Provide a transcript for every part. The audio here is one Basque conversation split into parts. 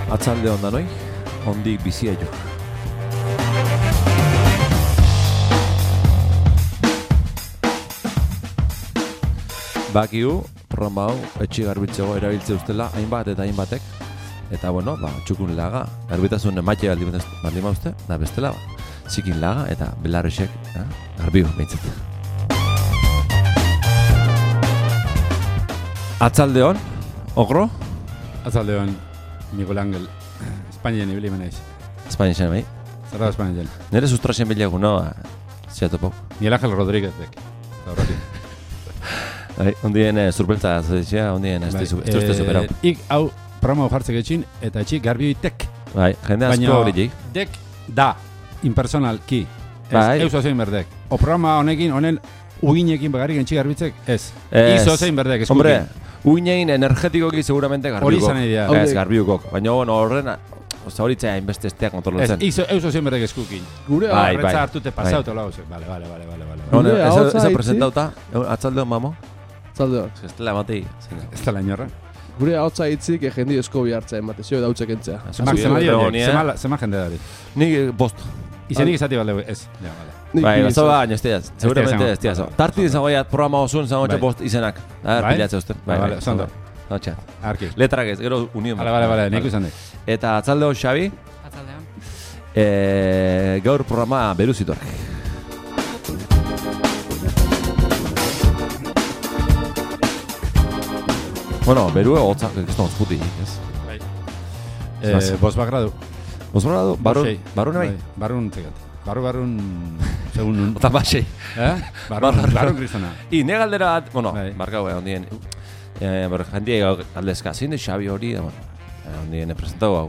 Atzalde onda noi, ondik bizia jo. Bakiu, programa hau, etxi garbitzego erabiltze ustela, hainbat eta hainbatek. Eta bueno, txukun laga, garbitasun emaite baldin mauzte, da bestela, zikin laga eta belarrexek, garbiu, behintzat. Atzaldeon, ogro? Atzaldeon, Miguel Ángel, Espainien ibili menaiz. Espainien zen, bai? Zer da Espainien? Nere sustrasen bilagu, no? Ziatopo. Miguel Ángel Rodríguezek, eta horretik. Ondien zurpeltza zaitzea, ondien ez duzte superau. Ik hau programa jartzek etxin, eta etxik garbioitek. Bai, jende asko hori jik. Dek da, impersonal ki. Bai. Eus ozein berdek. O programa honekin, honen uginekin bagarrik entxik garbitzek, ez. Izo ozein berdek, eskukin. Hombre, uginein energetikoki seguramente garbiukok. Hori izan idea. Ez, garbiukok. Baina horren, horitzea hainbeste esteak kontrolatzen. Ez, eus ozein berdek eskukin. Gure Horretza hartute pasauto lau. Vale. Ez presentauta, atzaldeon mamo? Atzaldeon. Ez dela ematei. Ez da la inorra. Gure hautza hitzik jendi esko bihartza emate, zio dautzek entzea. Zema jende dari. Nik bost. Izenik izati balde, ez. Ja, vale. Bai, bazoa baina ez diaz. Seguramente ez diaz. Tarti izangoiat programa osun, izangoetxe bost izenak. Pilatze usten. Bai, zondo. Hotxa. Arki. Letrak ez, gero union. Vale, nik izan dek. Eta atzaldeo Xabi. Atzaldean. Gaur programa beruzitor. Bueno, berue hotzak, ez da hotzputi, ez? Bai. Bosbak gradu. Bosbak gradu? Barun bai? Barun zegat. Barun, segun... Ota basei. Barun kristona. I, ne galdera bat, bueno, bai. markau ondien, jendie galdezka, zein de Xabi hori, ondien presentau hau.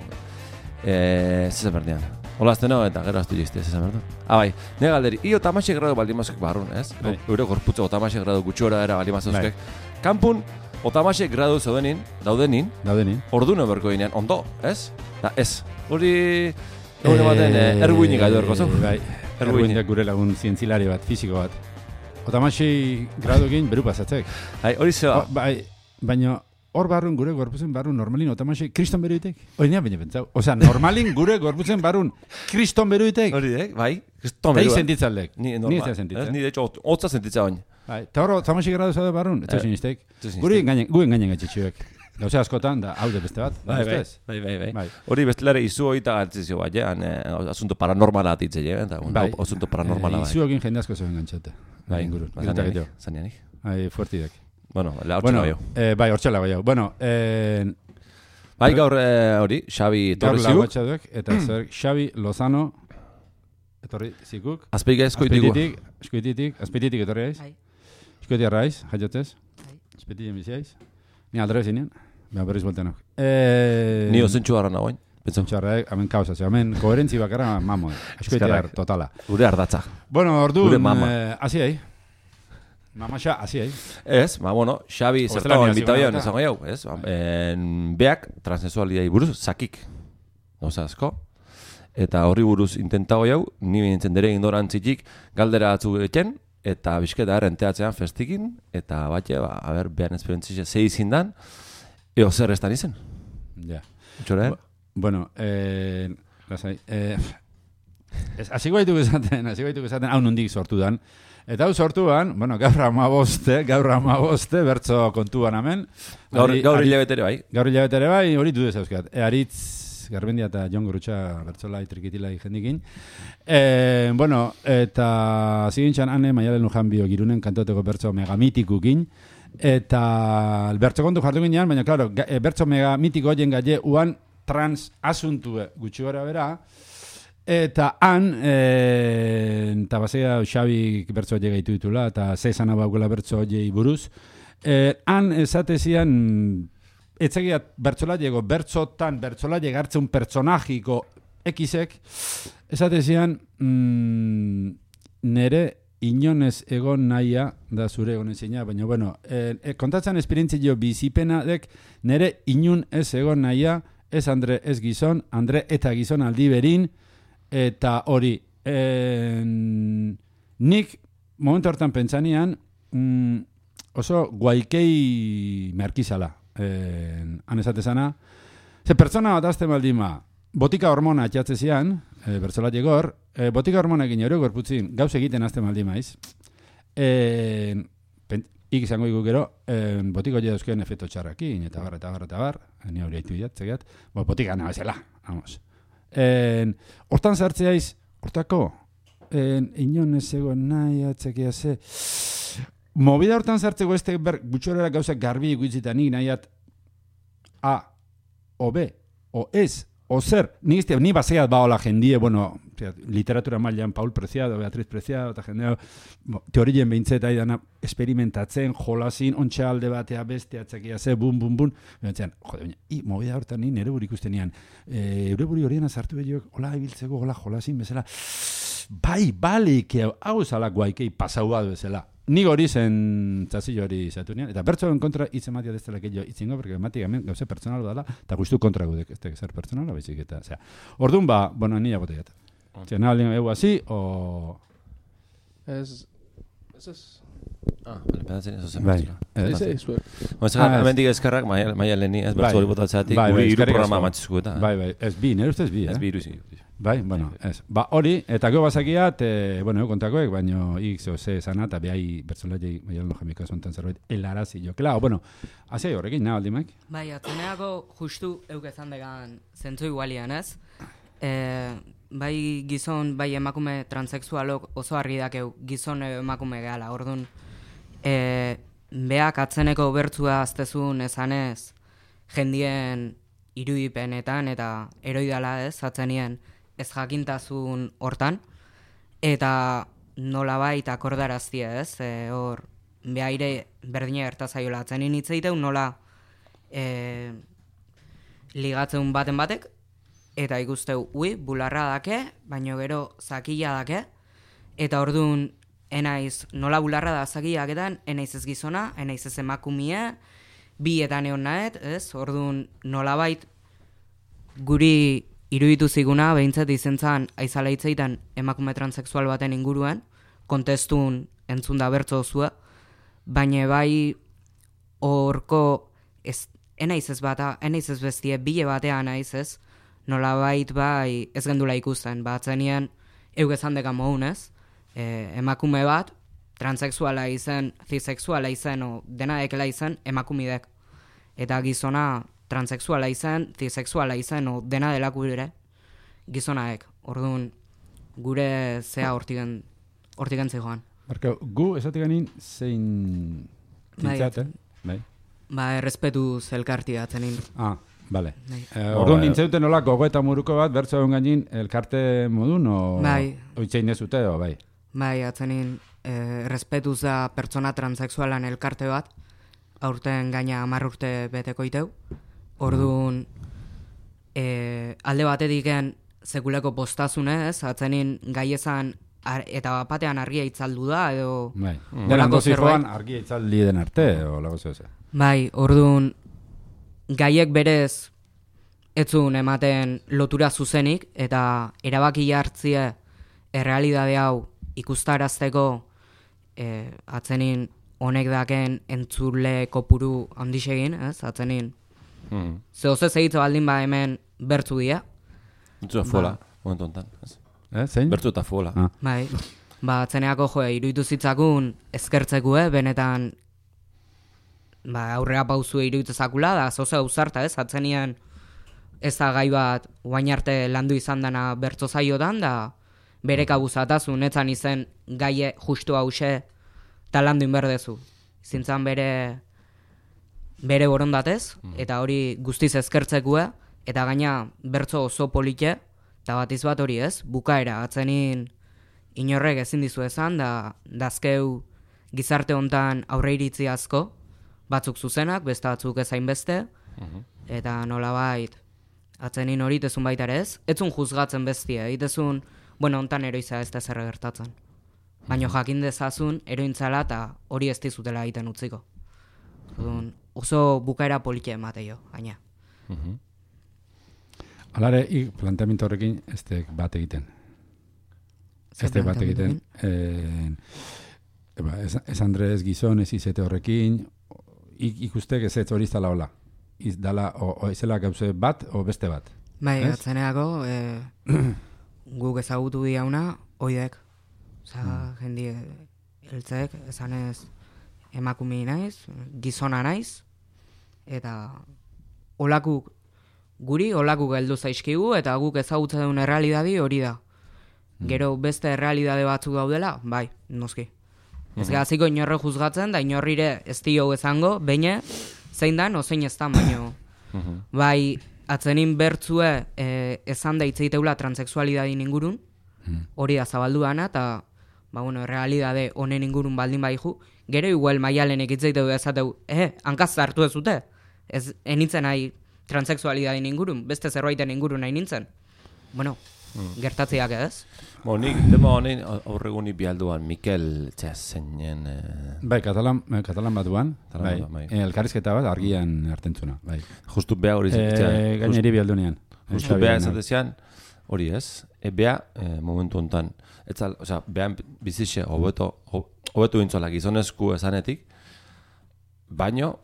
Zezen berdian. Olazteno eta gero aztu jizti, zezen berdu. Bai, ne galderi, i otamaxe gradu baldimazkek barrun, ez? Eure gorputze otamaxe gradu gutxora era baldimazkek. Kampun, otamaxe gradu daudenin, orduno berko ginean, ondo, ez? Da, ez. Hori, egun ematen, erguinik gaitu erko zu. Bai, erguinik gure lagun zientzilari bat, fiziko bat. Otamaxe gradu egin beru pasatzek. Hori zeba. Bai, baina hor barrun gure gorputzen barrun normalin otamaxe kriston beruitek. Hori nea baina pentsau. Osea, normalin gure gorputzen barrun kriston beruitek. Hori dek, bai, kriston berua. Eta sentitzaldek. Ni ez sentitzen. Ni de hecho, hotza sentitza bain. Bai, eta hor otamaxe gradu zaude barrun, ez sinistek. Guen gainen gaitxetxuek. Gauze askotan, da, hau de beste bat. Bai. Hori bestelare izu hori eta galtzizio bat, asunto paranormala atitze, eta asunto paranormala bai. Izu egin jende asko zeuen gantxote. Bai, zaneanik. Fuertidek. Bueno, hortxela bai. Bai, hortxela bai. Bueno, bai, gaur hori, Xabi Torri ziguk. Gaur lagoetxaduk, eta zer, Xabi Lozano, etorri zikuk. Azpeik ezkoitigu. Azpeititik etorri aiz. Eskueti arraiz, jaiotez. Azpeititik biziaiz. Ni aldre zinean. Beha berriz boltenok. Ni osentxu harra nagoen. Osentxu harra, hemen kausa. Hemen koherentzi bakarra mamo. Eskueti total. Gure ardatza. Bueno, ordu, hasi ahi. Mamaxa, hasi ahi. Ez, bueno, Xabi zertago invitabion esango jau, ez? Beak, transexualiai buruz, zakik. Gauza asko. Eta horri buruz intentago jau, ni bintzen dere ignorantzitik galdera atzu eten, eta bizketa errenteatzean festikin, eta batxe, behan esperientzia zei zindan, eo zer estan izen. Ja. Txore? Bueno, lasai, hasiko gaituk esaten, hau nondik sortu dan. Eta hau sortuan, bueno, gaur amaboste, bertzo kontuan hemen. Gaur hilabetere bai. Gaur hilabetere bai, hori dudez euskat. Aritz Garbendia eta Jon Gurutxa bertzolai trikitilai jendikin. Bueno, eta zigintxan ane maialen lujan bio girunen kantoteko bertzo megamitikukin. Eta bertzo kontu jartu ginean, baina, klaro, bertzo megamitiko hoien gaie uan trans asuntue gutxi gara bera. Eta han, eta bazea Xabi bertzo hori gaitu ditula, eta zezana baukela bertzo hori buruz. Han esatezian, etzegiat bertzolaiego, bertzolaieg hartzen personajiko ekizek, esatezian, nere inonez egon nahia, da zure egon ezina, baina, bueno, kontatzen esperientzio bizipena dek, nere inun ez egon nahia, ez Andre ez gizon, Andre eta gizon aldi berin, eta hori, nik momentu hortan pentsanean, oso guaikei merkizala, han esatezana, Ze pertsona bat azte baldima, botika hormona atxatze zian, bertzolat egor, botika hormonekin ero gorputzin, gauz egiten azte baldima, iz? Ik izango iku gero, botiko ja euskeen efeto txarrakin, eta bar, ni hori haitu jatzegat, botika nabezela, vamos. Hortan zartzeaiz, hortako, inon ez egon nahi atzekia ze, movida hortan zartzeko este gutxorera gauzak garbi ikuitzita nik nahiat A, o B, o ez, o zer, ni baseat baola jendie, bueno, literatura mailan Paul Preciado, Beatriz Preciado, eta jendeo, teorien behintzeta idana experimentatzen, jolasin, ontxe alde batea beste, atzakia ze, bum, behatzean, jode, baina, movida hortan ni nere buri ikusten nian, eure buri horien azartu behioek, hola ibiltzeko, hola jolasin bezala, bai, balik, hau zala guaikei pasau bat bezala. Nik hori zen txazillo hori zatu nian, eta bertsoen kontra hitz ematia dezela kello itzingo, porque ematik hemen gauze pertsonal dela, eta guztu kontra gudek, ez zer pertsonala, baizik eta, osea, orduan bueno, nila bote jata. Osea, nahi aldien egu hasi, o... Ez... Bale, pedatzen ez ozen Bai. Ez, hemendik eskerrak, maia leheni, ez bertso hori botatzeatik, guri hiru programa matxizku eta. Bai, ez bi, nire ustez bi, Ez bi iruzi. Bai, bueno, ez. Hori, eta gero bazakiat, bueno, kontakoek, baino ik ze esana, eta behai bertzolaiei, maialen jamika zontan zerbait, helarazi jo. Claro, bueno, hazi horrekin, nahi aldimak? Bai, atzeneako justu eukezan degan zentzu igualian, ez? Bai gizon, bai emakume transexualok oso argi dakeu gizon emakume gehala, orduan beak atzeneko bertzua aztezun esanez jendien irudipenetan eta eroidala ez, atzenien ez jakintasun hortan, eta nolabait akordaraztia ez, hor behaire berdina gertazaiola atzenin hitz egiteu nola ligatzen baten batek, eta ikusteu, bularra dake, baino gero zakila dake, eta orduan enaiz nola bularra da zakilaketan, enaiz ez gizona, enaiz ez emakumie, bi eta neon nahet, ez? Orduan nolabait guri iruditu ziguna, behintzat izentzan aizala hitzeitan emakume transexual baten inguruan, kontestun entzun da bertso zua, baina bai horko enaiz ez bata, enaiz ez bestie, bile batean naiz ez, nolabait bai ez gendula ikusten, batzenien eugezan dekan mohun ez, emakume bat, transexuala izen, zisexuala izen, o dena dekela izen, emakumidek. Eta gizona transexuala izen, zisexuala izen, o dena delaku ere, gizonaek. Orduan, gure zea hortigen zijoan. Marka, gu esatik ganin zein tintzat, bai? Ba, errespetu zelkarti atzenin. Bale. Orduan nintzeuten nola gogo eta muruko bat, bertso egon gainin elkarte modun, o oitzein ez dute, o bai? Bai, atzenin errespetuz da pertsona transexualan elkarte bat, aurten gaina 10 urte beteko iteu. Orduan, alde batetiken sekuleko postazunez, atzenin gaiezan eta batean argia itzaldu da, edo... Bai, delako zijoan argia itzaldi den arte, o lago zeu. Bai, orduan, gaiek berez etzun ematen lotura zuzenik, eta erabaki hartzie errealidade hau ikustarazteko atzenin honek daken entzule kopuru handixegin, ez? Atzenin zehozez egitza baldin ba hemen bertzu dia. Bertzu fola, momentu ontan. Zein? Bertzu eta fola. Bai, atzeneako iruditu zitzakun ezkertzekue, benetan aurrera pauzu iruditu zakula, da zoze ausarta ez, atzenian ez da gai bat guain arte landu izan dana bertzo zaiotan, da bere kabuzatazun, netzan izen gaie justu hause eta landu inberdezu. Zintzan bere borondatez, eta hori guztiz ezkertzekue, eta gaina bertzo oso polite, eta batiz bat hori ez, bukaera, atzenin inorrek ezin dizu esan, da dazkeu gizarte hontan aurre iritzi asko, batzuk zuzenak, beste batzuk ezain beste, eta nolabait, atzenin hori itezun baita ere ez, etzun juzgatzen bestie, itezun, bueno, hontan eroiza ez da zer gertatzen. Baina jakin dezazun, erointzala eta hori ez dizutela egiten utziko. Oso bukaera polite emateio, gaina. Alare, planteamiento horrekin ez bat egiten. Ez bat egiten. Ez Andrés gizon ez izete horrekin, ikustek ez ez hori zala hola. izdala, o izela gauze bat, o beste bat. Bai, Ez? atzeneako, guk ezagutu diauna, oidek. Osa, jendi heltzek, esanez emakumei naiz, gizona naiz, eta guri olakuk heldu zaizkigu, eta guk ezagutzen duen errealidadi hori da. Gero beste errealidade batzuk daudela, bai, noski. Ez gaziko inorre juzgatzen, da inorrire ez dio ezango, baina zein dan, ozein ez dan, baino. Bai, atzenin bertzue esan da itzeiteula transexualidadin ingurun, hori da zabaldu dana, eta realidade honen ingurun baldin baihu, gero igual maialenek itzeiteu ezateu, hankaz hartu ez zute, ez enitzen nahi transexualidadin ingurun, beste zerbaiten ingurun nahi nintzen. Bueno, gertatzeak ez? Nik tema honen aurreguni bialduan Mikel zeinen... Bai, katalan batuan, bai. Elkarrizketa bat argian hartentzuna, bai. Justu beha hori zein. Gaineri bialdunean. Justu beha ezatezean, hori ez, beha momentu hontan, beha bizixe hobetu intzola gizonezku esanetik, baino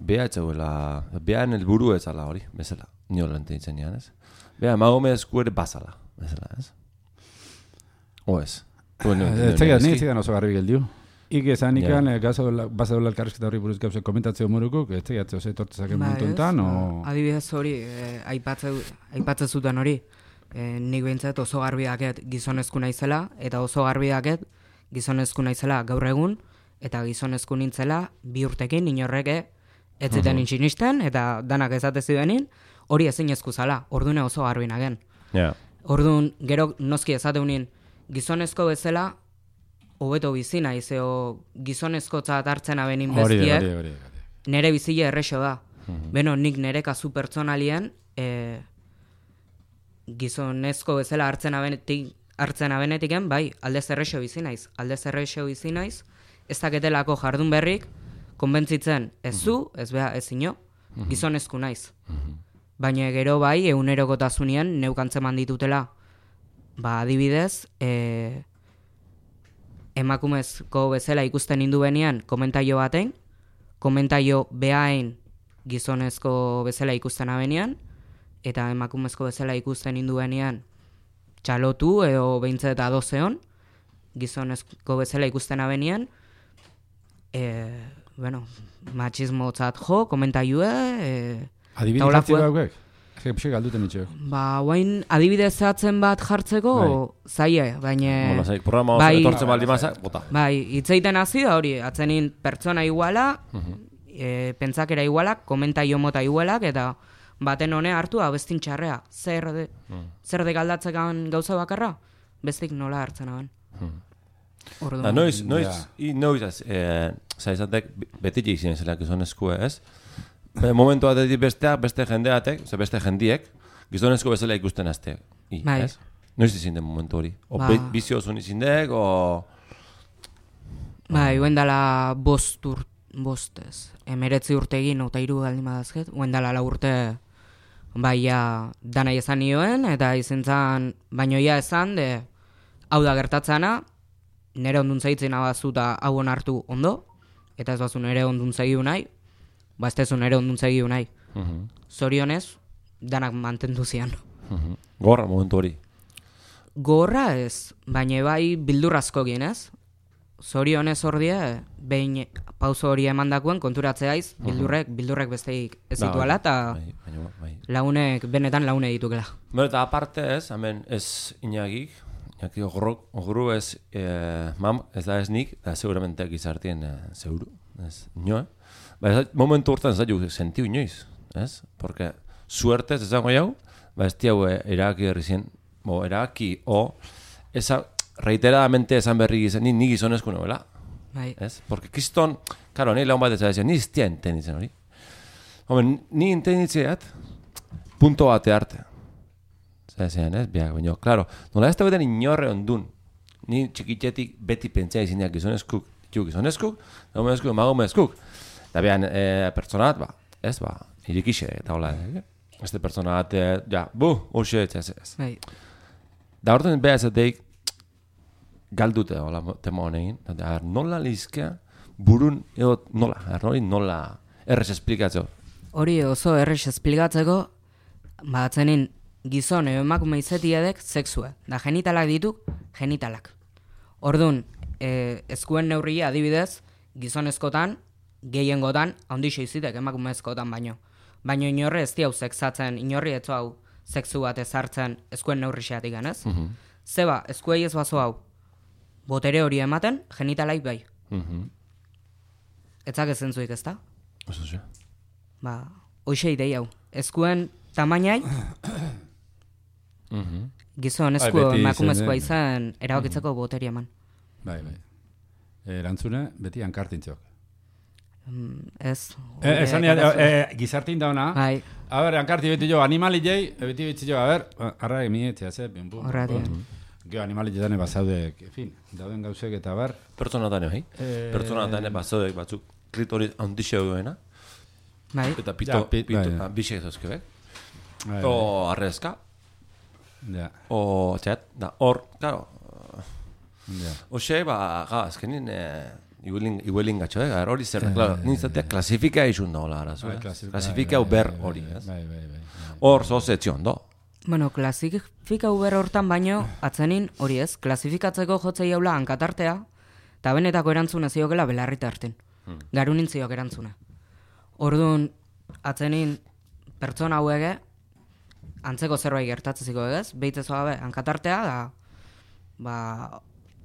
beha etxeguela, behan helburu ezala hori, bezala, niola ententzen nian, ez? Beha emagomezku ere bazala, bezala, ez? Ez zegan oso garbi geldiu. Ik esan ikan, baza dola elkarrizketa hori buruz gauze komentatzeo morukuk, ez zegatze oso etortzezaken momentuntan, o... Adibidez hori, aipatze zuten hori, nik behintzat oso garbi daket gizonezku naizela, eta oso garbi daket gizonezku naizela gaur egun, eta gizonezku nintzela 2 urtekin inorreke ez ziten intxinisten, eta danak ezate zidenin, hori ezinezku zala, ordune oso garbi nagen. Orduan, gero noski ezateunin, gizonezko bezala, hobeto bizi naiz, gizonezkotzat hartzen abenin bestiek, nere bizile errexo da. Beno, nik nere kasu pertsonalien, gizonezko bezala hartzen abenetiken, bai, aldez errexo bizi naiz, ez daketelako jardun berrik, konbentzitzen ez zu, ez beha, ez ino, gizonezku naiz. Baina gero bai, egunerokotasunien neukantzeman ditutela, adibidez, emakumezko bezala ikusten nindu benian komentaio baten, komentaio behain gizonezko bezala ikusten abenian, eta emakumezko bezala ikusten nindu benian txalotu edo behintzet adozeon, gizonezko bezala ikusten abenian, machismo tzat jo, komentaioe, adibidez hartzi daukek? Pixek galduten itxeo. Guain adibidez zehatzen bat jartzeko, zaie, baina... Programa oso etortzen baldi mazak, bota. Bai, itzeiten hazi da hori, atzenin pertsona iguala, pentsakera igualak, komentaio mota igualak, eta baten hone hartu bestin txarrea. Zer de galdatzekan gauza bakarra? Bestik nola hartzen aben. Noiz, zaizatek betik izin zelak gizonezkue, ez? Momentu batetik beste jendeatek, beste jendiek, gizonezko bezala ikusten azteak. Noiz izin den momentu hori? O bizio zuen izin dek, o... Bai, dala 19 urtegin, eta 3 galdin badazket, dala 4 urte, dana izan nioen, eta izan zan, baino esan, hau da gertatzana, nire ondun zaitzen abazuta hau hartu ondo, eta ez bazu nire ondun zaigu nahi, ez tezun ere ondun zegiu nahi. Zorionez, danak mantendu zian. Gorra momentu hori? Gorra ez, baina bai bildurrazko ginez. Zorionez ordie, behin pauso hori emandakuen konturatzeaiz, bildurrek besteik ez zituala, eta launek, benetan laune ditukela. Eta aparte ez, hemen ez inagik, ogru ez, ez da ez nik, eta seguramente gizartien zeuru, ez nioa. Momentu hortan zaitu sentiu inoiz, ez? Porque suertez ezango jau, ez tiago eraki errizien, eraki, reiteradamente esan berri gizan, ni gizonezko novela, ez? Porque kiston, karo, ni laun bat ez da, ni iztia entenditzen hori. Ni entenditzeat, punto bate arte. Zean, ez? Biak, baina, klaro, nola ez da beten inorre ondun, ni txikitzetik beti pentsea izinak gizonezkuk, emagomezkuk. Da behan, pertsonat, ez, irikixe, eta hola, este pertsonat, hoxe, ez. Da horten beha ezateik, galdute, hola, tema honekin, nola lizkea, burun, edo nola, nola, errez esplikatzeo, Hori oso errex esplikatzeko, atzenin gizon edo emakume izetiedek sexua. Da genitalak ditu, genitalak. Orduan, eskuen neurria adibidez, gizonezkotan, gehiengotan, handixe izitek emakumezkotan baino. Baino inorre ez diau sexatzen, inorri etzo hau sexu bat ezartzen eskuen neurri xeatik ganez. Zeba, eskuei ez bazo hau, botere hori ematen, genitalaik bai. Etzak ezentzuik ez da? Oso xe. Hoxe idei hau. Eskuen tamainai, gizon esku emakumezkoa izan erabakitzeko boteria eman. Bai. Erantzune, beti hankartintzok. Ez. Esan gizartin dauna. Bai. A ver, hankarti beti jo, animali jei, beti beti jo, a ver, arra emietzea, ze, bim-bum. Geo animali jetane bazaudek, en fin, dauden gauzek eta bar. Pertsonatane, bai? Pertsonatane bazaudek batzuk klitoris handixe duena. Bai. Eta pito, bixe ezazkebek. O arrezka. Ja. O txat, da hor, claro. Ja. Oxe, azkenin, iguelin gatxo, hori zer, claro, nintzatea klasifika izun dola, arazo, klasifika uber hori, ez? Bai. Hor, zozetzion, do. Bueno, klasifika uber hortan baino, atzenin hori ez, klasifikatzeko jotzei jaula hankatartea, eta benetako erantzuna ziokela belarrita hartin. Garunin ziok erantzuna. Orduan, atzenin pertsona hauege, antzeko zerbait gertatzeziko egez, behitzezo gabe hankatartea,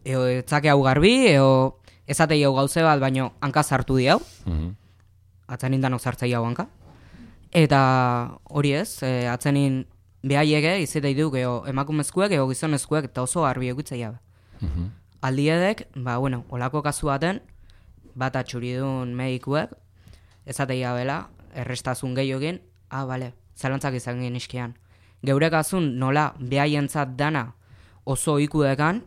eo etzake hau garbi, eo ezatei hau gauze bat, baino hanka sartu di hau, atzenin danok sartzei hau hanka. Eta hori ez, atzenin behaiege, izitei du, geho emakumezkuek, geho gizonezkuek, eta oso garbi egitzei jabe. Aldiedek, olako kasu baten, bat atxuridun medikuek, ezatei jabela, errestazun gehiogin, bale, zalantzak izan gen iskian. Geure kasun nola behaientzat dana oso ikudekan,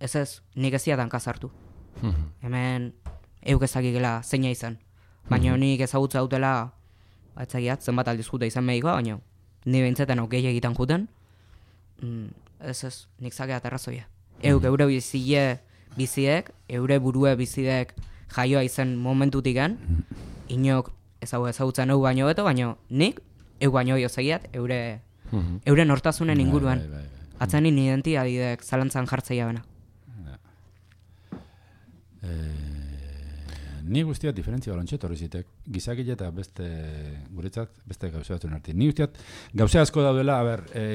ez, nik eziatan kasartu. Hemen euk ezakikela zeina izan. Baina nik ezagutza dutela, etzakiat, zenbat aldizkuta izan medikoa, baina ni behintzeten okei egiten juten, ez, nik zakeat errazoia. Euk eure biziek, eure burue bizidek jaioa izen momentutiken, inok ezagutzen egu baino beto, baina nik, egu baino jozegiat, eure nortasunen inguruan. Atzenin identiadidek zalantzan jartzeia bena. Ni guztiat diferentzia balontxet horri zitek. Gizakile eta guretzat, beste gauze batzuen arti. Ni guztiat gauze asko daudela,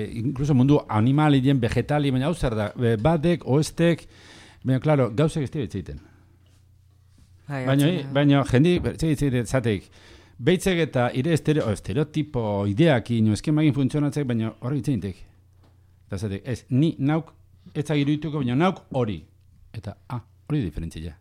incluso mundu animalien, vegetali, baina hau zer da, batek, oestek, baina, klaro, gauzek ez ditzeiten. Baina, jendi, zateik, behitzek eta ire estereotipo, ideak ino, eskemagin funtzionatzek, baina horri itzeintek. Eta zateik, ez, ni nauk, ez agiruituko, baina nauk hori. Eta, hori diferentzia.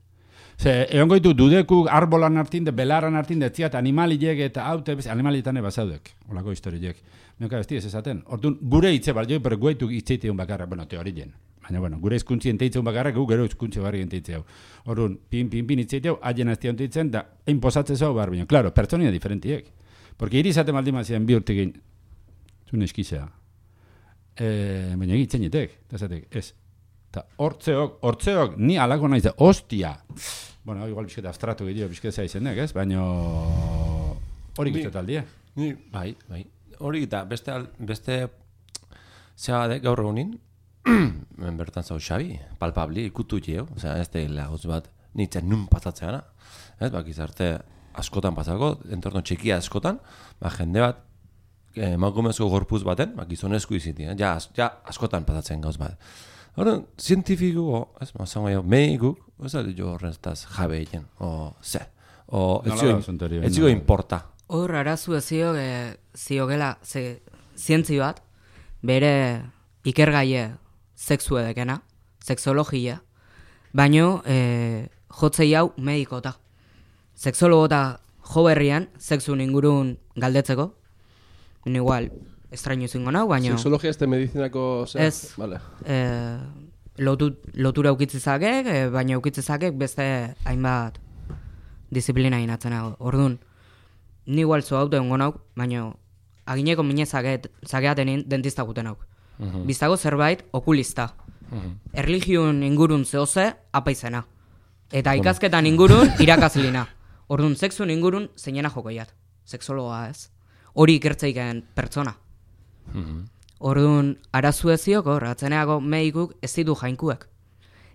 Egon goitu dudekuk arbolan hartinde, belaran hartinde, etziat animaliek eta haute, animalietan bazaudek, olako historiek. Mioka, ez esaten. Orduan, gure hitze balio, pero guaituk hitzeiteun bakarra, teorien. Baina, gure hizkuntzien teitzeun bakarra, gero hizkuntze barri enteitzeu. Orduan, pin hitzeiteu, haien aztia onteitzen, da, egin posatzezau bar, baina, klaro, pertsonia diferentiek. Porque irizaten baldima ziren bi urtekin, zuen eskizea. Baina egitzen jetek, eta zatek, ez. Eta hortzeok, ni alako naiz, ostia. Bueno, igual bizketa abstratu gehiago bizketa izenek, ez? Baina hori guztet aldia. Bai. Hori eta beste zea gaur egunin, bertan zau Xabi, palpabli, ikutu jeo, ez da lagoz bat nintzen nun pasatzeana. Ez, gizarte askotan pasako, entorno txikia askotan, jende bat, emakumezko gorpuz baten, gizonezko izitin, ja askotan pasatzen gauz bat. Horren, zientifiko, ez medikuk, ez da jo horrentaz jabe egin, ez zigo importa. Hor, arazu ez ziogela zientzi bat, bere ikergaie sexu edekena, sexologia, baino jotzei hau medikota. Sexologota jo berrian, sexun ingurun galdetzeko, igual, estraño zingo nau, baina... Sexologia ez da medizinako... Ez, vale. Lotura eukitzizakek, baina eukitzizakek beste hainbat disiplina inatzena. Orduan, ni igual zo haute ongo nauk, baina agineko mine zakeaten dentista guten nauk. Biztago zerbait okulista. Erligion ingurun zehoze apaizena. Eta ikasketan ingurun irakazlina. Orduan, sexun ingurun zeinena jokoiat. seksologa ez. Hori ikertzeiken pertsona. Orduan, arazu eziok hor, atzeneako medikuk ez ditu jainkuek.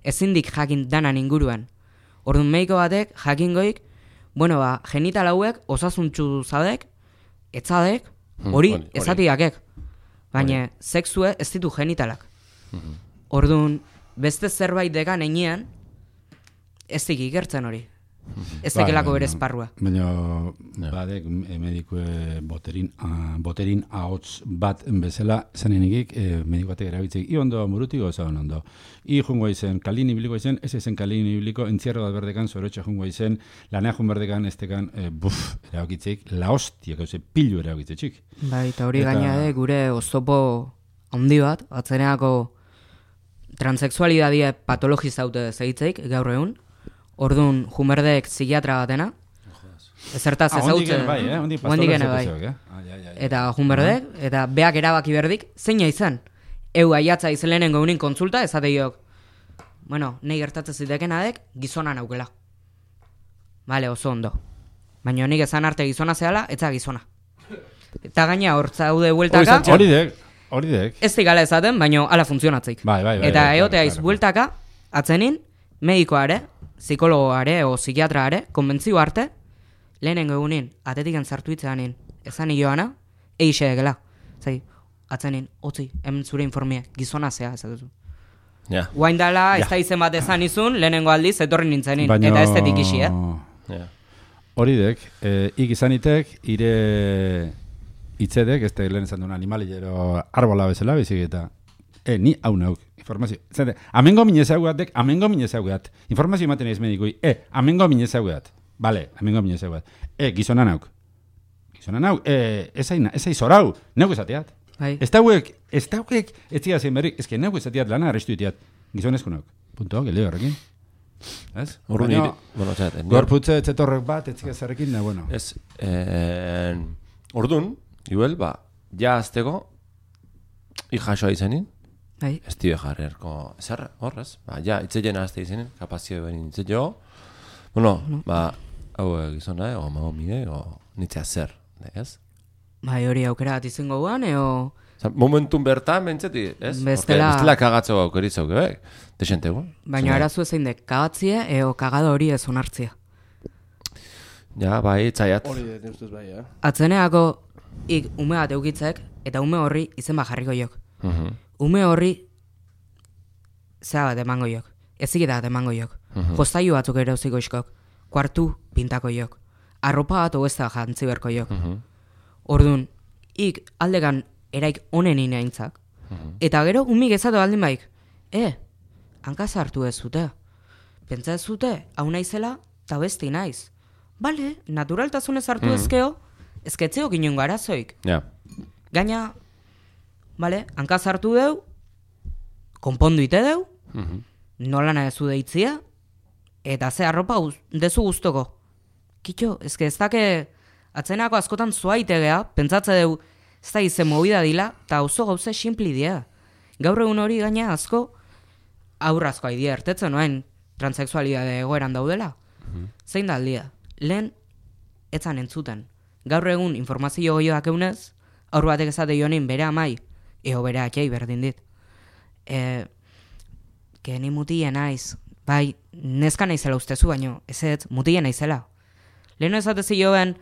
Ezindik jakin danan inguruan. Orduan, mediko batek jakingoik, bueno, genital hauek osasuntxu zadek, etzadek, hori ezatiakek. Baina, sexue ez ditu genitalak. Orduan, beste zerbait dekan einean, ez dik ikertzen hori. Ez dekelako bere esparrua. Baina, badek medikue boterin ahots bat bezala zanenikik mediko batek erabiltzeik. I ondo murutik oso ondo. I jungo izen, kalin ibiliko izen, ez izen kalin ibiliko, entzierro bat berdekan, zorotxe jungo izen, lanea jun berdekan, ez dekan, erabakitzeik, la hostia, gauze, pilu erabakitzeik. Bai, eta hori gainade gure oztopo handi bat, atzeneako transexualidadie patologizaute zegitzeik, gaur egun. Orduan, jumerdek psikiatra batena. Ezertaz ezautzen. Hondik bai. Eta jumerdek, eta beak erabaki berdik, zeina izan. Eu aiatza izelenen gaunin kontsulta, ezateiok. Bueno, nahi gertatzen zitekenadek, gizona naukela. Bale, oso ondo. Baina nik ezan arte gizona zehala, etza gizona. Eta gaina hortzaude bueltaka. Hori dek. Ez digala ezaten, baina ala funtzionatzeik. Bai. Eta eotea bueltaka, atzenin, medikoare, psikologoare o psikiatraare, konbentzio arte, lehenengo egunin, atetiken zartu itzeanin, ezan joana, eixe egela. Zai, atzenin, otzi, hemen zure informie, gizona zea, ez duzu. Guain dala, ez da izen bat ezan izun, lehenengo aldiz, etorri nintzenin, eta ez detik isi, Hori dek, ik izanitek, ire itzedek, ez da lehen esan duen animalilero arbola bezala, bezik eta, ni hau nauk. Informazio. Zate, amengo minezaugatek, informazio ematen ez medikui, amengo minezaugat. Bale, amengo minezaugat. Gizona nauk. Ez aiz orau, neuk esateat. Ez dauek, ez tira zein berrik, ez que neuk esateat lana arrestu itiat. Gizonezko nauk. Punto, geleo horrekin. Ez? Gorputze etzetorrek bat, etzik ezarrekin, bueno. Ez, orduan, igual, ja azteko, ijasoa izanin, ez tio jarrerko, zer, horrez, ja, itzeien azte izinen, kapazio behin itzetio, bueno, hau gizona, o mahomide, o nitzea zer, ez? Bai, hori aukera bat izango guan, momentun bertan, bentseti, ez? Bestela kagatzo aukeritzau, desentegu. Baina arazu ezein dek, kagatzie, kagado hori ez onartzia. Ja, bai, itzaiat. Hori dut ustez bai, Atzeneako, ume bat eukitzek, eta ume horri izen jarriko jok. Ume horri zea bat emango jok, eziketa bat emango jok, jostailu batzuk ere uziko iskok, kuartu pintako jok, arropa bat oezta jantzi berko jok. Orduan, aldekan eraik onen inaintzak, eta gero umik ezatu aldin baik, hankaz hartu ez zute, pentsa ez zute, hau naizela, eta besti naiz. Bale, naturaltasunez hartu ezkeo, ezketzeo ginen garazoik. Gaina, bale, hankaz hartu deu, konpondu ite deu, nolana ezu deitzia, eta ze arropa dezu guztoko. Kitxo, ezke ez dake atzenako askotan zua itegea, pentsatze deu, ez da izen movida dila, eta oso gauze simpli dia. Gaur egun hori gaina asko, aurrazko haidea ertetzen noen transexualidade egoeran daudela. Zein da aldia? Lehen, etzan entzuten. Gaur egun informazio goioak eunez, aur batek ezate joanin bere amai, bere atxai berdin dit. Ni mutien naiz, bai, neska naizela ustezu, baino, ez mutien naizela. Leheno ezatezi joen,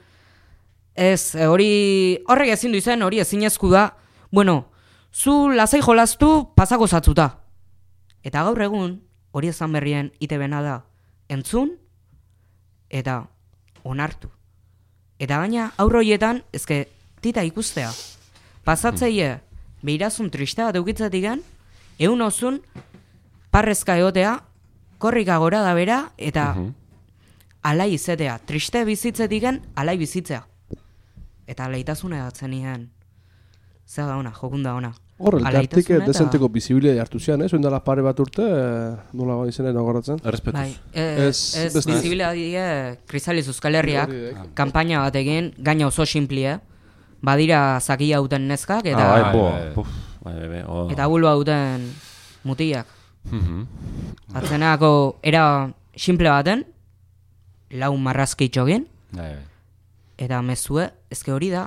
horrek ezin du izen, hori ezin ezku da, bueno, zu lasai jolaztu pasako zatzuta. Eta gaur egun, hori ezan berrien itebena da, entzun, eta onartu. Eta gaina, aurroietan, ezke, tita ikustea. Pasatzeie, behirazun triste bat eukitzetik gen, egun ozun, parrezka egotea, korrika gora da bera, eta alai izetea. Triste bizitzetik gen, alai bizitzea. Eta alaitasune datzen nien. Zer da ona, jokunda ona. Horrelkartik desenteko bizibilia hartu zian, oin dala pare bat urte, nola izenen agoratzen? Errespetuz. Ez bizibilia die Krisaliz Euskal Herriak, kampaina bat egin, gaina oso simplie, badira zakia duten neskak, eta bulba duten mutiak. Atzenako era simple baten, lau marrazki txogin, eta mezue, ezke hori da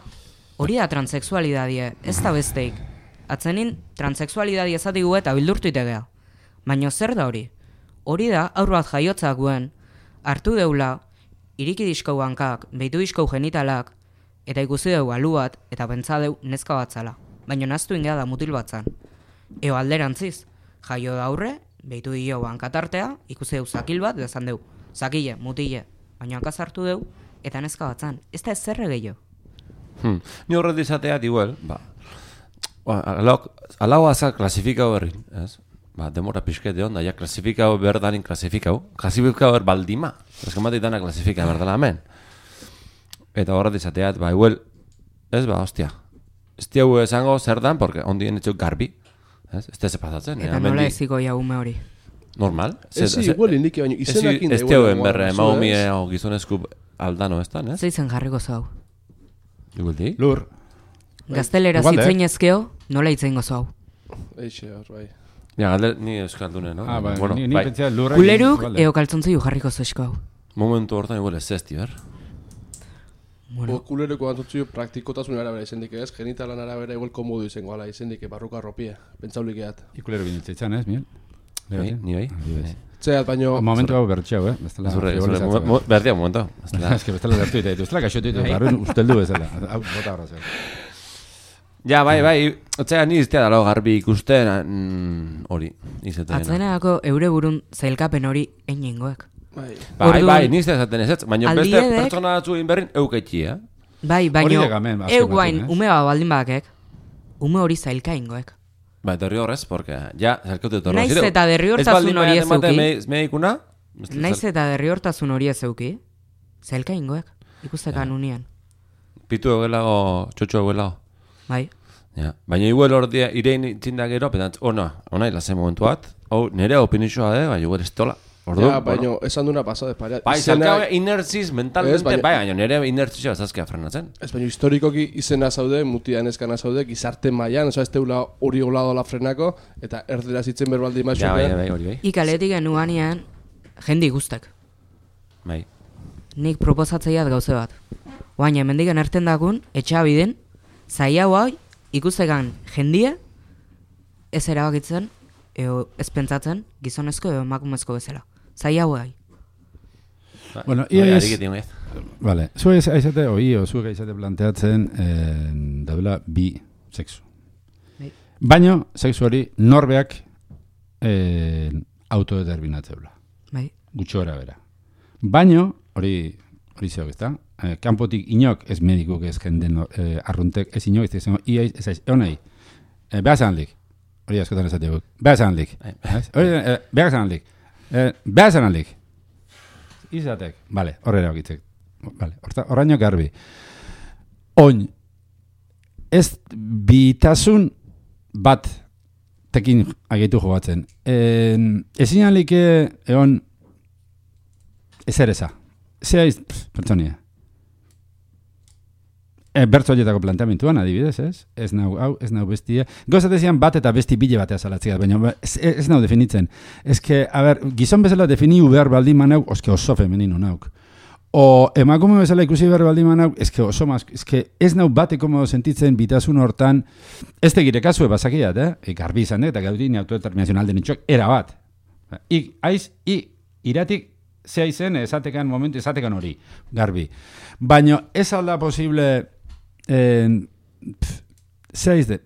transexualidadie, ez da besteik. Atzenin, transexualidadie ezatigu eta bildurtu itegea. Baina zer da hori? Hori da, aur bat jaiotzak guen, hartu deula, iriki diskau hankak, behitu diskau genitalak, eta ikusi deu alu bat, eta pentsa deu neska bat zala. Baina naztu ingea da mutil bat zan. Eo alderantziz, jaio da aurre, behitu dio hankatartea, ikusi deu zakil bat, dezan deu, zakile, mutile, baina hankaz hartu deu, eta neska bat zan. Ez da ez zerre gehiago. Ni horret izatea, igual, alau azak klasifikau berri, ez? Demora pixkete hon, ja klasifikau berdanin klasifikau baldima. Ez que matitana klasifika berdala hemen. Eta horret izateat, igual, ez hostia. Ez diagu esango zer dan, porque ondien etxuk garbi. Ez teze pasatzen. Eta nola eziko jaume hori. Normal. Ez igual indiki, baina izenakin da. Ez diauen berre, maumie o gizonezku aldano ez dan, ez? Zeitzen jarriko zau. Igual di? Lur. Gaztelera zitzen ezkeo, nola itzen gozo hau. Eixe, bai. Ja, galder, ni euskaldune, no? Ni pentsea lurra... Uleruk, eo kaltzontzei jarriko zoizko hau. Momentu hortan igual ez zesti, ber? Kulereko antotzio praktikotasun arabera izendik ez, genitalan arabera igual komodu izango ala izendik barruka arropia, pentsaulik eat. Ikulero binetzitzen, ez, Miel? Ni bai? Txeat, baino... Momentu hau bertxeu, Berdia, momentu. Ez que bestela bertu ditu, bestela kaxotu ditu, barruen usteldu bezala. Hau, bota horra zer. Ja, bai, otzea ni iztea dalo garbi ikusten hori, izaten. Atzeneako eure burun zailkapen hori einengoek. Bai, ni iztea zaten ez, baina beste pertsona batzu inberrin euketxi, eh? Bai, baina euguain ume baldin bakek, ume hori zailkaingoek. Bai, derri horrez, porque ja, zailkautu etorro. Naiz eta derri hortasun hori ez euki. Medikuna? Naiz eta derri hortasun hori ez euki, zailkaingoek, ikustekan unian. Pitu egelago, txotxo egelago. Bai. Ja, baina igual ordia irein txindak gero, petantz, ona ilazen momentu bat, nire opinixoa baina igual ez tola. Ja, baina esan duna pasade pareat. Bai, zalkabe inertziz mentalmente, baina nire inertzizia bazazkea frenatzen. Ez baina historikoki izena zaude, mutian eskana zaude, gizarte mailan, ez teula hori oladola frenako, eta erdera zitzen berbaldi maixo. Ja, bai, hori bai. Ikaletik genuanean, jendi guztek. Bai. Nik proposatzeiat gauze bat. Baina, hemendiken erten dakun, etxabiden, zai hau ikustekan jendie ez erabakitzen ez pentsatzen gizonezko edo emakumezko bezala. Zai hau Bueno, vale, zuek aizate zuek aizate planteatzen daudela bi sexu. Baina, sexu hori norbeak autodeterminatzeula. Bai. Gutxo bera. Baina, hori zeok ez da, kanpotik inok ez medikuk ez jenden arruntek ez inok ez izango ez honei behazanlik hori askotan esatea guk behazanlik behazanlik izatek horrela bakitzek horraino garbi oin ez bitasun bat tekin agitu jogatzen ezin alike egon ezer eza Zeaiz, pertsonia. Bertzo horietako planteamentuan, adibidez, ez? Ez nau bestia. Gozatezian bat eta besti bile batea salatziat, baina ez nau definitzen. Ez que, gizon bezala definiu behar baldin manauk, oske oso femenino nauk. O emakume bezala ikusi behar baldin manauk, ez que oso maz, ez nau bate komodo sentitzen bitasun hortan, ez tegire kasue basakiat, garbi izan eta gaudin autodeterminazioan alden itxok, era bat. Iratik, zea izen, esatekan momentu, esatekan hori, garbi. Baina ez alda posible, zea izde,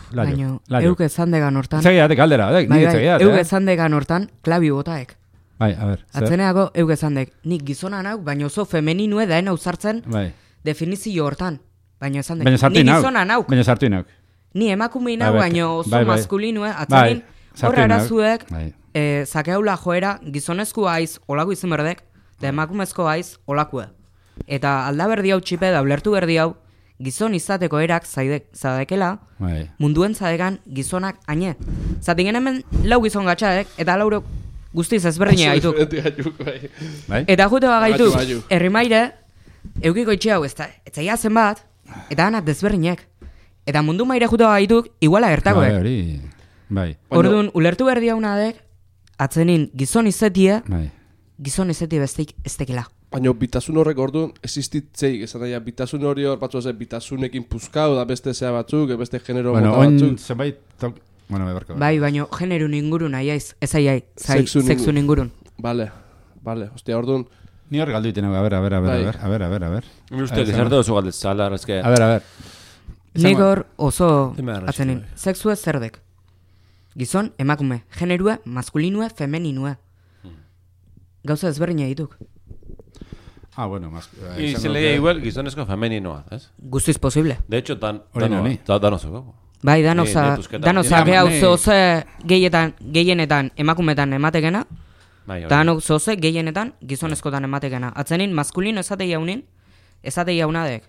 baina, euk ezandegan hortan, zegiatek aldera, euk ezandegan hortan, klabi botaek. Bai, a ber. Atzeneako euk ezandek, nik gizona nauk, baina oso femeninue daen ausartzen definizio hortan. Baina ezandek, nik gizona nauk. Baina sartu nauk. Ni emakume nauk, baina oso maskulinue, atzenin, horra arazuek, zakeaula joera, gizonezko haiz, olako izan berdek, da emakumezko haiz, olakue. Eta alda berdi hau txipe da, ulertu berdi hau, gizon izateko erak zadekela, munduen zadekan gizonak aine. Zatingen hemen lau gizon gatxadek, eta laurok guztiz ezberdine gaituk. Eta jute gaituk, herrimaire, eukiko itxe hau, ez zaila zen bat, eta anak desberdinek. Eta mundu maire jute gaituk, iguala gertakoek. Orduan, ulertu berdi hau nadek, atzenin gizon izetie, gizon izetie besteik ez tekela. Baina bitasun horrek orduan existitzeik, esan daia, bitasun hori hor batzu zen, bitasunekin puzkau, da beste zea batzuk, beste genero Bueno, mota batzuk. oin zenbait... Bueno, bebarko. Bai, baina generun ingurun aiaiz, ez aiai, sexun ingurun. Vale, hostia, orduan, Ni hor galdu iten, a ver. Ni uste, gizarte oso galdez zala, eske... A ver. Nik hor oso Dime arrazi, atzenin, bai. sexue zerdek. Gizon, emakume, generue, maskulinue, femininue. Gauza ezberdina dituk. Ah, bueno, más... Y se leía igual gizonezko femeninoa, ez? Guztiz posible. De hecho, Hori nani. danozeko. Bai, Ni pusketa. danozak hau zoze gehienetan emakumetan ematekena, Bai, hori. danok zoze gehienetan gizonezkotan ematekena. Atzenin, maskulino esatei jaunin, esatei jaunadek,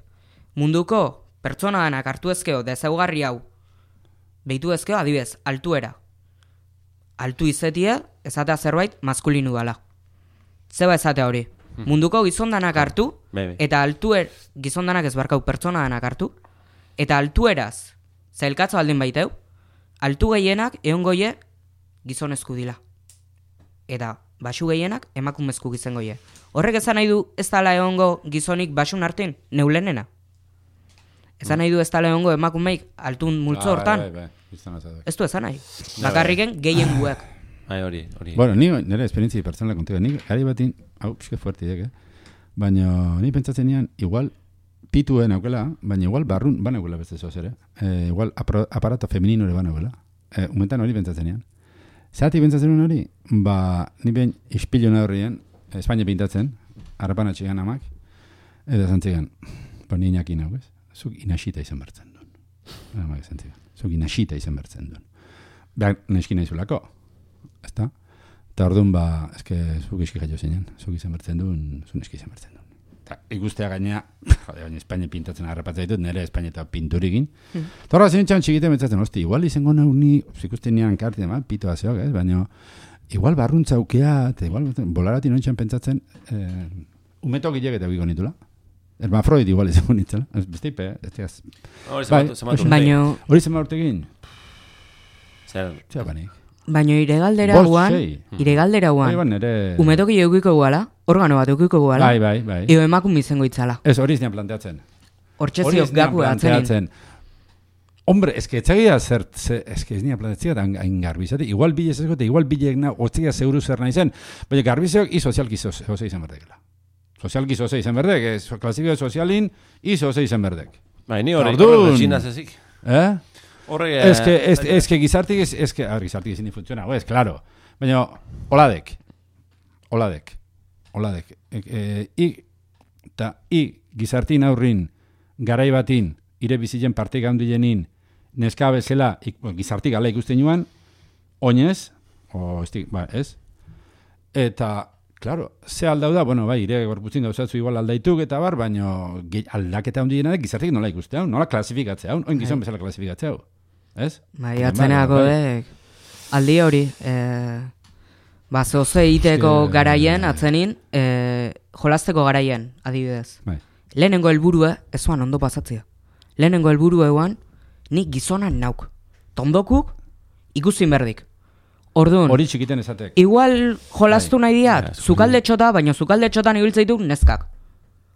munduko pertsona danak hartu ezkeo, dezaugarri hau, behitu ezkeo, adibez, altuera. Altu izetia, esatea zerbait, maskulinu dala. Zeba esatea hori. Munduko gizondanak hartu, Bai. eta gizondanak ez barkau pertsona danak hartu, eta altueraz, zailkatzo aldin baiteu, altu gehienak eongoie gizonezku dila. Eta basu gehienak emakumezku gizengoie. Horrek esan nahi du ez dala egongo gizonik basun hartin, neulenena. Esan nahi du ez dala egongo emakumeik altun multzo hortan. Bai. Ez du esan nahi. Bakarriken gehien guek. Bai, hori. Bueno, ni nire esperientzia personala kontigo. Ni gari batin, hau, pixke fuerte idek, baina ni pentsatzen nian, igual pituen aukela, baina igual barrun banaukela beste zoz ere. Igual aparato femenino ere banaukela. Umentan hori pentsatzen nian. Zerati pentsatzen nuen hori, ni behin ispilu horrien, Espainia pintatzen, harrapan atxigan amak, eta zantzigan, ni inakin hau, ez? Zuk inasita izan bertzen duen. Amak zantzigan. Zuk inasita izan bertzen duen. Behar, neski nahi zulako. Ezta? Eta orduan, eske, zuk iski jaio zinen. Zuk izan bertzen duen, zuk neski izan bertzen duen. Eta ikustea gaina, baina Espainia pintatzen harrapatzen ditut, nire Espainia eta pinturikin. Eta horra zinitxan txikite metzatzen, hosti, igual izango nahi ni, ikusten nian karti, pitoa zeok, ez? Baina, igual barruntza aukea, eta igual, bolarati nointxan pentsatzen, umetok hilek eta biko nitula. Hermafroid igual izango nitzela. Beste ipe, ez? Baina... Hori zema urtekin? Zer? Zer banik? Baina iregaldera guan, umetoki eukiko guala, organo bat eukiko guala, bai. Eo emakume izango itzala. Ez, hori izan planteatzen. Hortxeziok gaku atzenin. Hombre, eske etxegia eske ez nia plantetzea da hain garbizate. Igual bile ez eskote, igual bilek na, hortzea zeuru zer nahi zen, baina garbizeok i sozialki zoze izan berdekela. Sozialki zoze izan berdek, klasifiko sozialin i zoze izan berdek. Bai, ni hori retxinaz ezik. Horre... Eske gizartik ezin funtziona, ez, claro. Baina, oladek. I gizartin aurrin, garai batin, ire bizilen parte gaundilenin, neska bezala, gizartik gala ikusten joan, oinez, ez? Eta, claro, ze aldau da, bueno, bai, ire gorputzin gauzatzu igual aldaituk eta bar, baina aldaketa hundiena gizartik nola ikuste hau, nola klasifikatzea hau, oin gizon bezala klasifikatzea hau. Ez? Bai, atzeneako dek. Aldi hori, zoze iteko garaien, atzenin, jolazteko garaien, adibidez. Bai. Lehenengo helburue, ez zuan ondo pasatzea. Lehenengo helburue eguan, nik gizonan nauk. Tondokuk, ikusin berdik. Orduan, hori txikiten esatek. Igual jolaztu nahi diat, zukalde txota, baina zukalde txotan ibiltzeituk neskak.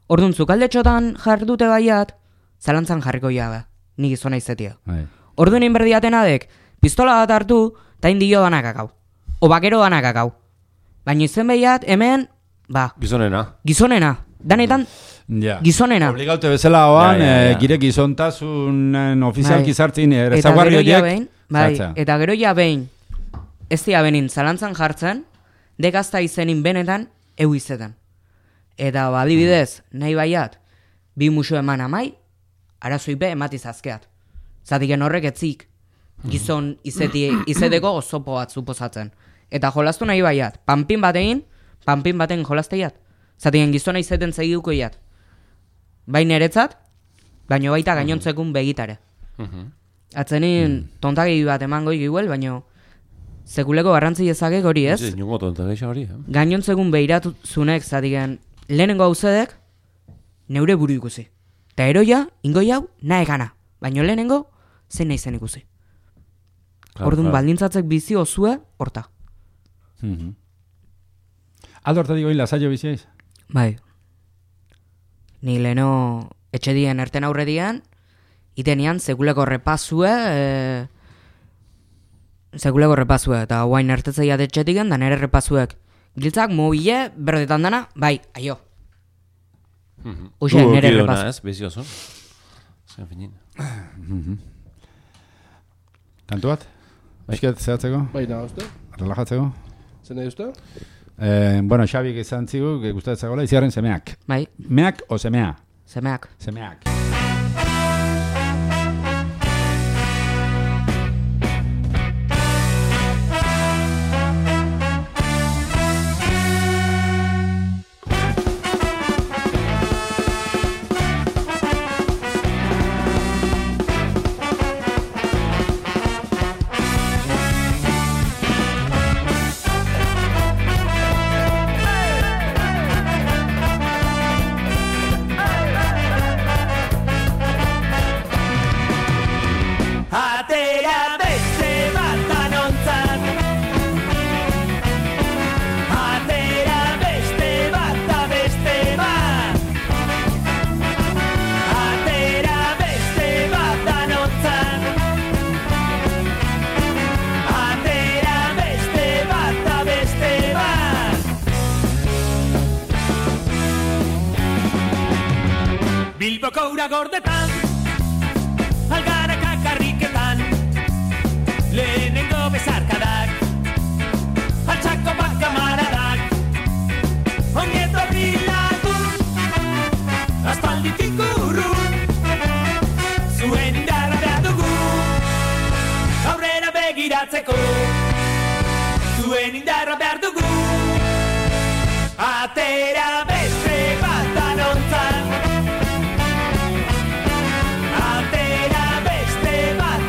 Orduan, zukalde txotan jardute baiat, zalantzan jarriko jabe, nik gizona izetia. Bai. Orduan inberdiaten adek, pistola bat hartu, eta indio danakakau. O bakero danakakau. Baina izen behiat, hemen, Gizonena. Danetan, gizonena. Obligaute bezala hoan, gire gizontasun ofizialki zartzin, ezaguarri horiek. Bai, eta gero ja behin, ez dia benin zalantzan jartzen, dekazta izenin benetan, izetan. Eta adibidez, nahi baiat, bi musu eman amai, arazoipe ematizazkeat. Zatiken horrek etzik, gizon izeteko osopo bat suposatzen. Eta jolastu nahi baiat, panpin baten jolasteiat. Zatiken gizona izeten zeiduko iat. Bain eretzat, baino baita gainontzekun begitare. Atzenin tontagei bat emango iguel, baino sekuleko garrantzi ezagek hori ez. Gainontzekun behiratu zunek, zatiken lehenengo hauzedek, neure buru ikusi. Eta eroia, ingoi hau, nahe gana. Baino lehenengo, zein nahi zen ikusi. Orduan, baldintzatzek bizi osue, horta. Aldo hortatik oin lasaio biziaiz? Bai, ni leno etxedien erten aurredian, itenian sekuleko repasue, eta guain ertetzeiat etxetiken, da nere repasuek. Giltzak, mobile, berdetan dana, bai, aio. Uxe, nere repasu. Ez, bezioso. Zen finin. Kantu bat? Eusket, zehatzeko? Bai, nahi uste? Relajatzeko? Zer nahi uste? Bueno, Xabik izan zigu, gustatzegoela, iziarren semeak. Bai. Meak o semea? Semeak. Semeak. Bilboko ura gordetan, algaraka karriketan, lehenengo bezarkadak, altxako bakamaradak, ongieto bilagun, aspalditik urrun, zuen indarra behar dugu, aurrera begiratzeko, zuen indarra behar dugu, atera beste bat danontzan, atera beste bat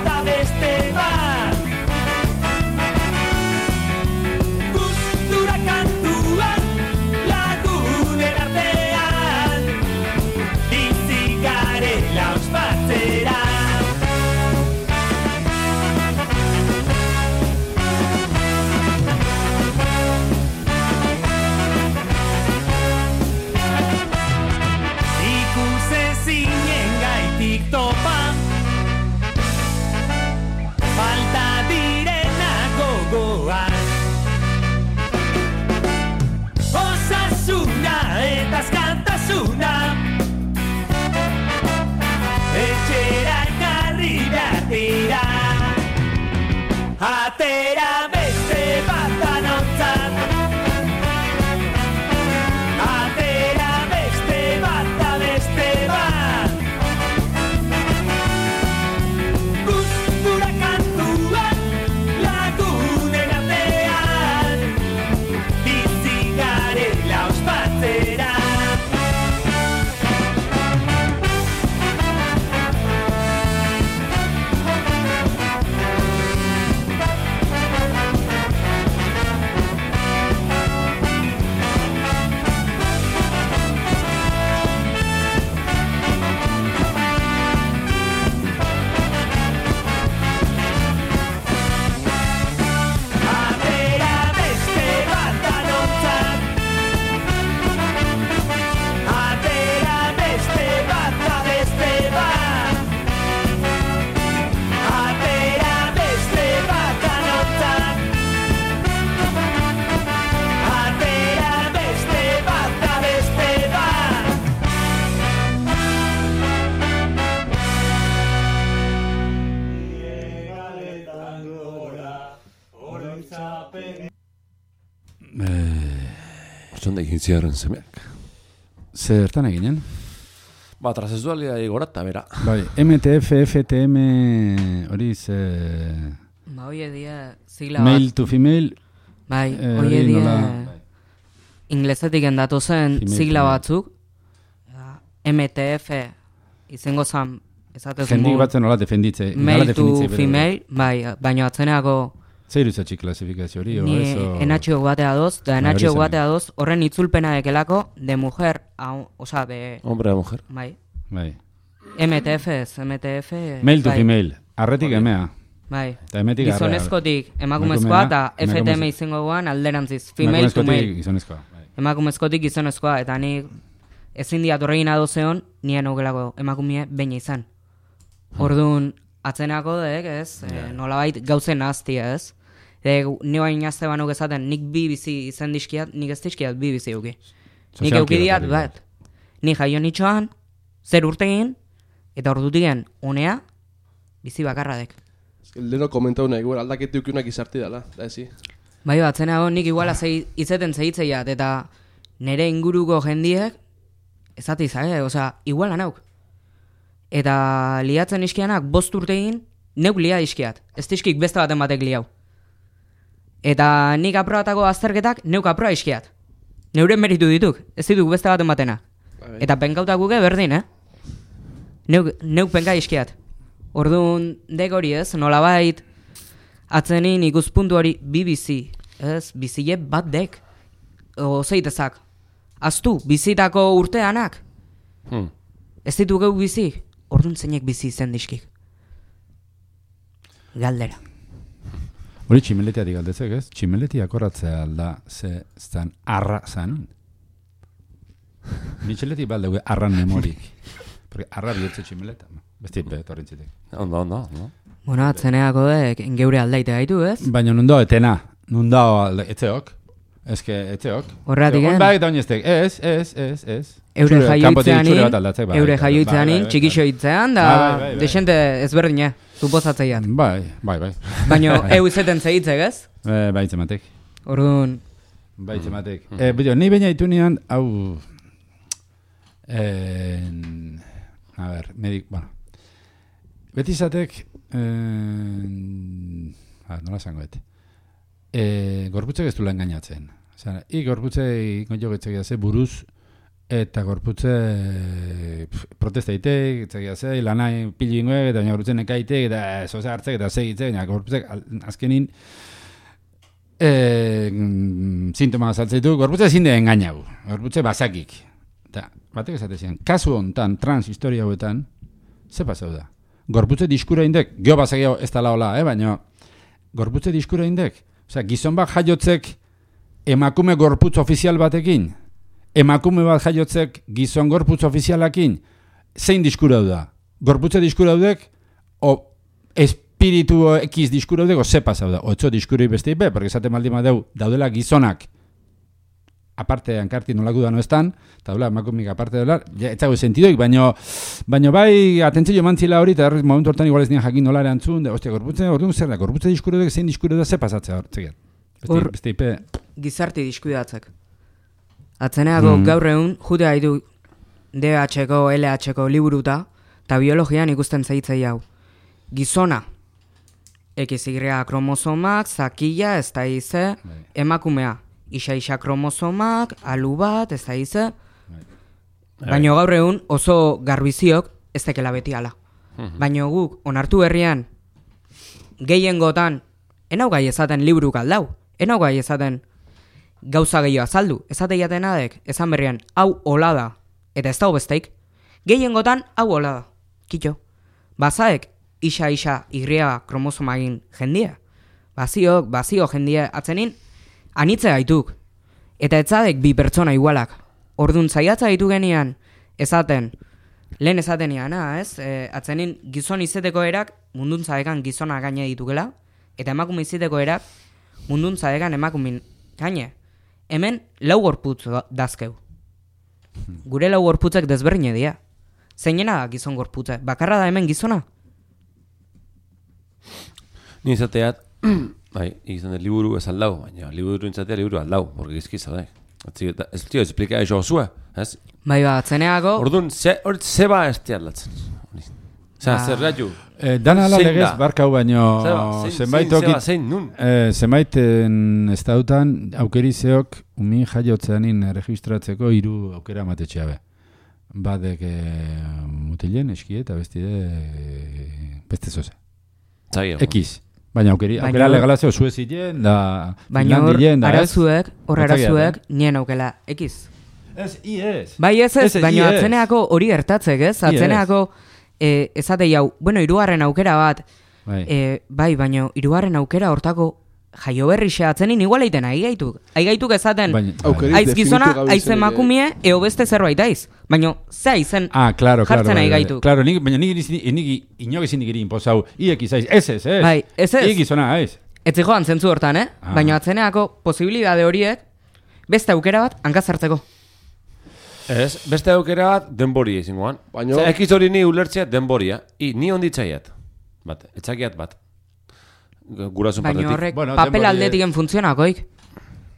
danontzat, atera beste bat da beste bat, gustura kantuan lagunen artean, bizi garela ospatzera. Zonda egin ziarren semeak. Zertan eginen? Ba, transexualia igora eta bera. Bai, MTF, FTM, hori ze... Ba, hoie dia sigla bat. Male to female. Bai, hoie dia inglesetik endatu zen sigla batzuk. MTF izango zan, esatez Jendik batzen hola defenditze. Male to female, bai, baina atzeneako... Zer izatxik klasifikazio hori? Ni enatxio batea doz, da enatxio batea doz, horren itzulpena dekelako, de mujer, oza, de... Hombre a mujer. Bai. Bai. MTF ez, MTF... Male to female, arretik emea. Bai. Gizonezkotik emakumezkoa eta FTM izango guan alderantziz. Female to male. Gizonezkoa. Emakumezkotik gizonezkoa, eta ni ezin diat horregin adozeon, nien augelako emakumie baina izan. Orduan, atzenako dek, ez, nolabait gauzen nahaztia, ez. Ni bain azte banuk ezaten, nik bi bizi izan dizkiat, nik ez dizkiat bi bizi euki. Nik eukidiat bat. Ni jaio nitxoan, zer urtegin, eta ordutigen, unea, bizi bakarradek. Leno komentau nahi, igual aldaketi ukiunak izarti dela, da ezi. Bai, atzenago nik iguala izeten zehitzeiat, eta nire inguruko jendiek, ezati izage, osea, iguala nauk. Eta liatzen iskianak 5 urtegin, neuk lia iskiat, ez dizkik beste baten batek liau. Eta nik aprobatako azterketak neuk aproa iskiat. Neuren meritu dituk, ez dituk beste baten batena. Eta penkautak guke berdin, Neuk penka iskiat. Orduan dek hori ez, nolabait atzenin ikuspuntu hori bi bizi, ez, bizile bat dek. Ozeitezak. Aztu, bizitako urteanak. Ez ditu geu bizi, orduan zeinek bizi izen dizkik. Galdera. Hori tximeletiatik galdezek, ez? Tximeletiak horratzea alda ze zan arra zan. Mitxeletik balde arran memorik. Porque arra bihotze tximeleta. Beste torrentzitek. Ondo. Bueno, atzeneako dek geure aldaite gaitu, ez? Baina nundo etena. Nundo etzeok. Eske etzeok. Horratik Hon eta oineztek. Ez. Eure jaioitzeanin, txikixo hitzean, da desente ezberdina, suposatzeian. Bai. Baina eu izeten zeitzek, ez? Bai, itzematek. Orduan... Bai, itzematek. Ni baina ditu nian, hau... A ver, bueno. Beti izatek... nola esango bete. Gorputzek ez duela engainatzen. Gorputzei jogetzek da ze buruz, eta gorputze protesta itek, ze lanai pilingoek, eta gorputzen ekaitek, eta zoze hartzek, eta segitzek, baina gorputzek azkenin sintoma azaltzeitu, gorputze ezin de engainau, gorputze basakik. Eta batek esatezian, kasu hontan, trans historia hauetan, ze pasau da? Gorputze diskura indek, geho basakiago ez tala hola, baina gorputze diskura indek, gizon bat jaiotzek emakume gorputz ofizial batekin, emakume bat jaiotzek gizon gorputz ofizialakin, zein diskura da? Gorputze diskura daudek, o espiritu ekiz diskura daudek, o ze pasau da? Otso diskuri beste ipe, porque esaten maldima daudela gizonak, aparte hankarti nolako da no estan, eta dola emakumik aparte dela, ez dago sentidoik, baino bai atentzio mantzila hori, eta momentu hortan igual ez nien jakin nola erantzun, ostia, gorputze, orduan zer da, gorputze diskura duk, zein diskura da, ze pasatzea hortzekin. Beste ipe... Gizarti diskuidatzek. Atzeneako gaur egun, jute haitu DH-ko, LH-ko liburuta, eta biologian ikusten zeitzei hau. Gizona, XY kromosomak, zakila, ez da ize, emakumea. Isa kromosomak, alu bat, ez da ize. Baina gaur egun oso garbiziok ez tekela beti ala. Baina guk onartu herrian gehiengotan enau gai ezaten liburuk aldau. Enau gai ezaten gauza gehiago azaldu. Ezate jaten adek, ezan berrian, hau hola da. Eta ez dago besteik. Gehiengotan hau hola da. Kitxo. Bazaek isa igria kromosomagin jendia. Bazio jendia atzenin, anitze gaituk. Eta etzadek bi pertsona igualak. Orduan zaiatza gaitu genian, ezaten, lehen ezaten iana, ez? Atzenin gizon izeteko erak mundun zadekan gizona gaine ditukela, eta emakume izeteko erak mundun zadekan emakumin gaine. Hemen lau gorputz dazkeu. Gure lau gorputzek desberdine dira. Zeinena da gizon gorputze? Bakarra da hemen gizona? Ni izateat, bai, izan dut liburu ez aldau, baina liburu intzatea liburu aldau, porque gizki zaudek. Ez tio, explika eso osua, ez? Bai ba, atzeneako... Orduan, zeba ez tiarlatzen. Zer ratu? Dan ala legez barkau baino... Zenbaiten ez dautan aukerizeok umin jaiotzeanin registratzeko 3 aukera matetxea be. Badek mutilen, eski eta beste zoze. Ekiz. Baina aukera legalazio zuezien da... Baina hor arazuek nien aukela ekiz. Ez, iez. Bai ez, baina atzeneako hori gertatzek, ez? Atzeneako ezatei hau, bueno, 3. aukera bat, bai, baina 3. aukera hortako jaio berri xeatzenin igual eiten aigaituk. Aigaituk ezaten, Aukerik aiz gizona, definitu gabe aiz izenik, emakumie, eo beste zerbait aiz. Baina, ze aizen claro, jartzen bai. aigaituk. Claro, baina nik inok ezin iri inposau, iek izaiz, ez. Bai, ez. Iek izona, ez. Ez joan zentzu hortan, Baina atzeneako posibilidade horiek, beste aukera bat hankazartzeko. Ez, beste aukera bat denboria izangoan. Baino- Ekiz hori ni ulertzea denboria. Ni onditzaiat. Bat, etxakiat bat. Gurasun Baina partetik. horrek Bueno, papel denbori- aldetiken funtzionakoik.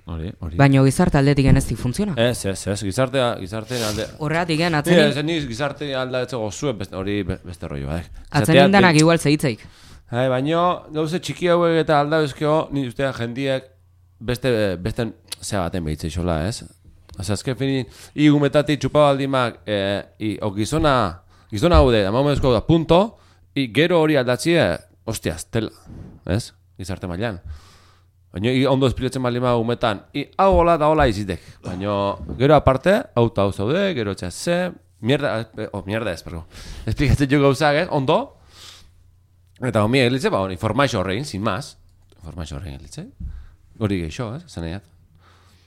Hori. Baina gizarte aldetiken ez di funtziona. Ez, gizartean alde... Horregatik Ez, atzenin, ni gizarte aldatzeko zuen hori beste rolloa, atzenin danak igual zeitzeik. Baina, gauze txiki hauek eta aldabezkeo, ni ustean jendiek beste zea baten behitzei xola, ez? Osa, azken finin, igumetatik txupabaldimak, gizona haude, amamezko da, punto, gero hori aldatzie, hostiaz, tela, ez? Gizarte mailan. Baina, ondo espiletzen baldima umetan, hau hola da hola izitek. Baina, gero aparte, hau zaude, gero txase, mierda ez, perdón. Esplikatzen jo gauzak, ez? Ondo, eta homi eglitze, informazio horrein, sin más. Informazio horrein eglitze. Hori geixo, zenaiat.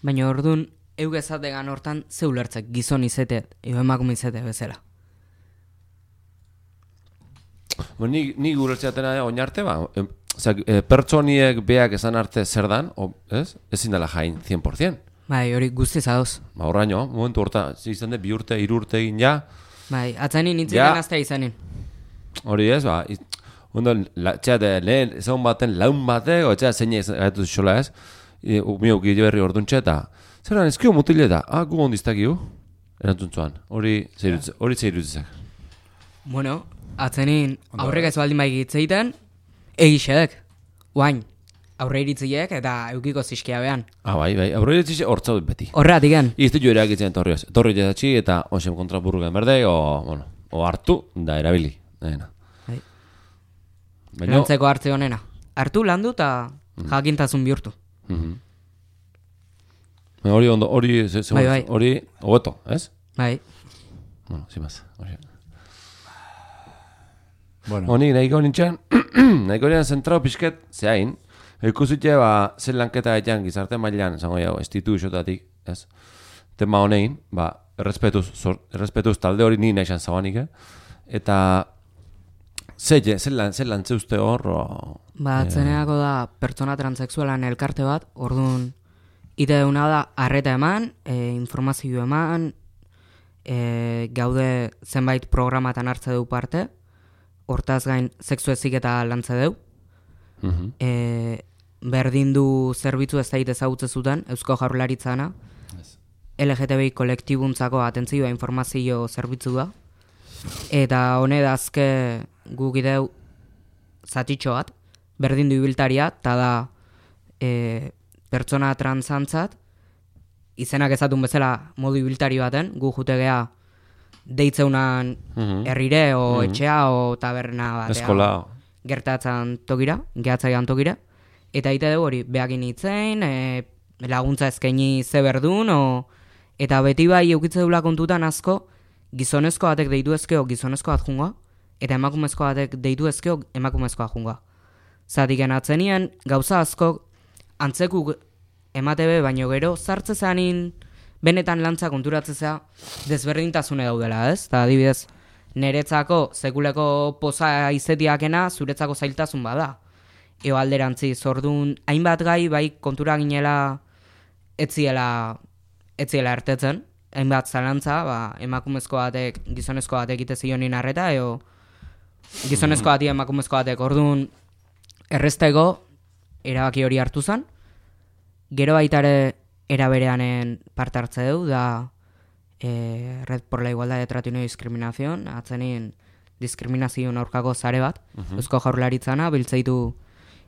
Baina orduan, eugezategan hortan ze ulertzek gizon izetet, eo emakume izete bezala. Ni guretzeatena oinarte, pertsoniek beak esan arte zer dan, ez? Ezin dela jain 100%. Bai, hori guztiz adoz. Horraino, momentu horta, izan de 2 urte, 3 urte egin ja. Bai, atzenin itziken Ja. aztea izanin. Hori ez, ondo, lehen ezagun baten laun batek, o etxea zein gaitu xola ez, miok berri orduntxe eta, zeran ezkio mutile da, gu ondiztakiu, erantzuntzuan, hori zeirutzezak. Bueno, atzenin aurrek ez baldin bai gitzeiten, egixedek, guain, aurre iritziek eta eukiko ziskia behan. Bai, aurre ditzize hortza dut beti. Horregatik gen. Izte jo erakitzen torri jazatxi eta onsem kontrapurrugen berde, o hartu da erabili. Bai. Baina, Lantzeko hartze honena. Hartu landu eta jakintasun bihurtu. hori ondo, hori Bai. hobeto, ez? Bai. Bueno, zimaz, hori. Bueno, Honi, nahiko nintzen, nahiko nintzen zentrao pixket, zehain, ikusitxe, zen lanketa gaitan gizarte mailan, zango jau, instituziotatik, ez? Tema honein, errespetuz talde hori ni nahi zabanik, eta zer lantze uste hor, Atzeneako da pertsona transexualan elkarte bat, orduan ite deuna da arreta eman, informazio eman, gaude zenbait programatan hartze du parte, hortaz gain sexu heziketa lantze deu. Berdin du zerbitzu ez daite ezagutze zuten, Eusko Jaurlaritzana, LGTBI kolektibuntzako atentzioa informazio zerbitzu da. Eta hone dazke guk ideu zatitxo bat, berdin du ibiltaria, eta da pertsona transantzat, izenak ezatun bezala modu ibiltari baten, gu jutegea deitzeunan herrire, o etxea, o taberna batea. eskola. Gertatzen tokira, gehatzaian tokira. Eta ite dugu hori, behakin itzein, laguntza eskaini ze berdun, eta beti bai eukitze dula kontutan asko, gizonezko batek deitu ezkeo gizonezko bat jungoa, eta emakumezko batek deitu ezkeo emakumezkoa jungoa. Zatik atzenien gauza asko antzekuk ematebe, baino gero sartze zanin benetan lantza konturatzea desberdintasune daudela, ez? Eta adibidez, neretzako sekuleko poza izetiakena zuretzako zailtasun bada. Eo alderantziz, orduan hainbat gai bai kontura ginela etziela ertetzen, hainbat zalantza, emakumezko batek, gizonezko batek ite zionin arreta, eo gizonezko batek, emakumezko batek, orduan errezteko erabaki hori hartu zen, gero baitare erabereanen parte hartze du, da Red por la Igualdad de Trato y No Discriminación, atzenin diskriminazioen aurkako zare bat, Eusko Jaurlaritzana, biltzeitu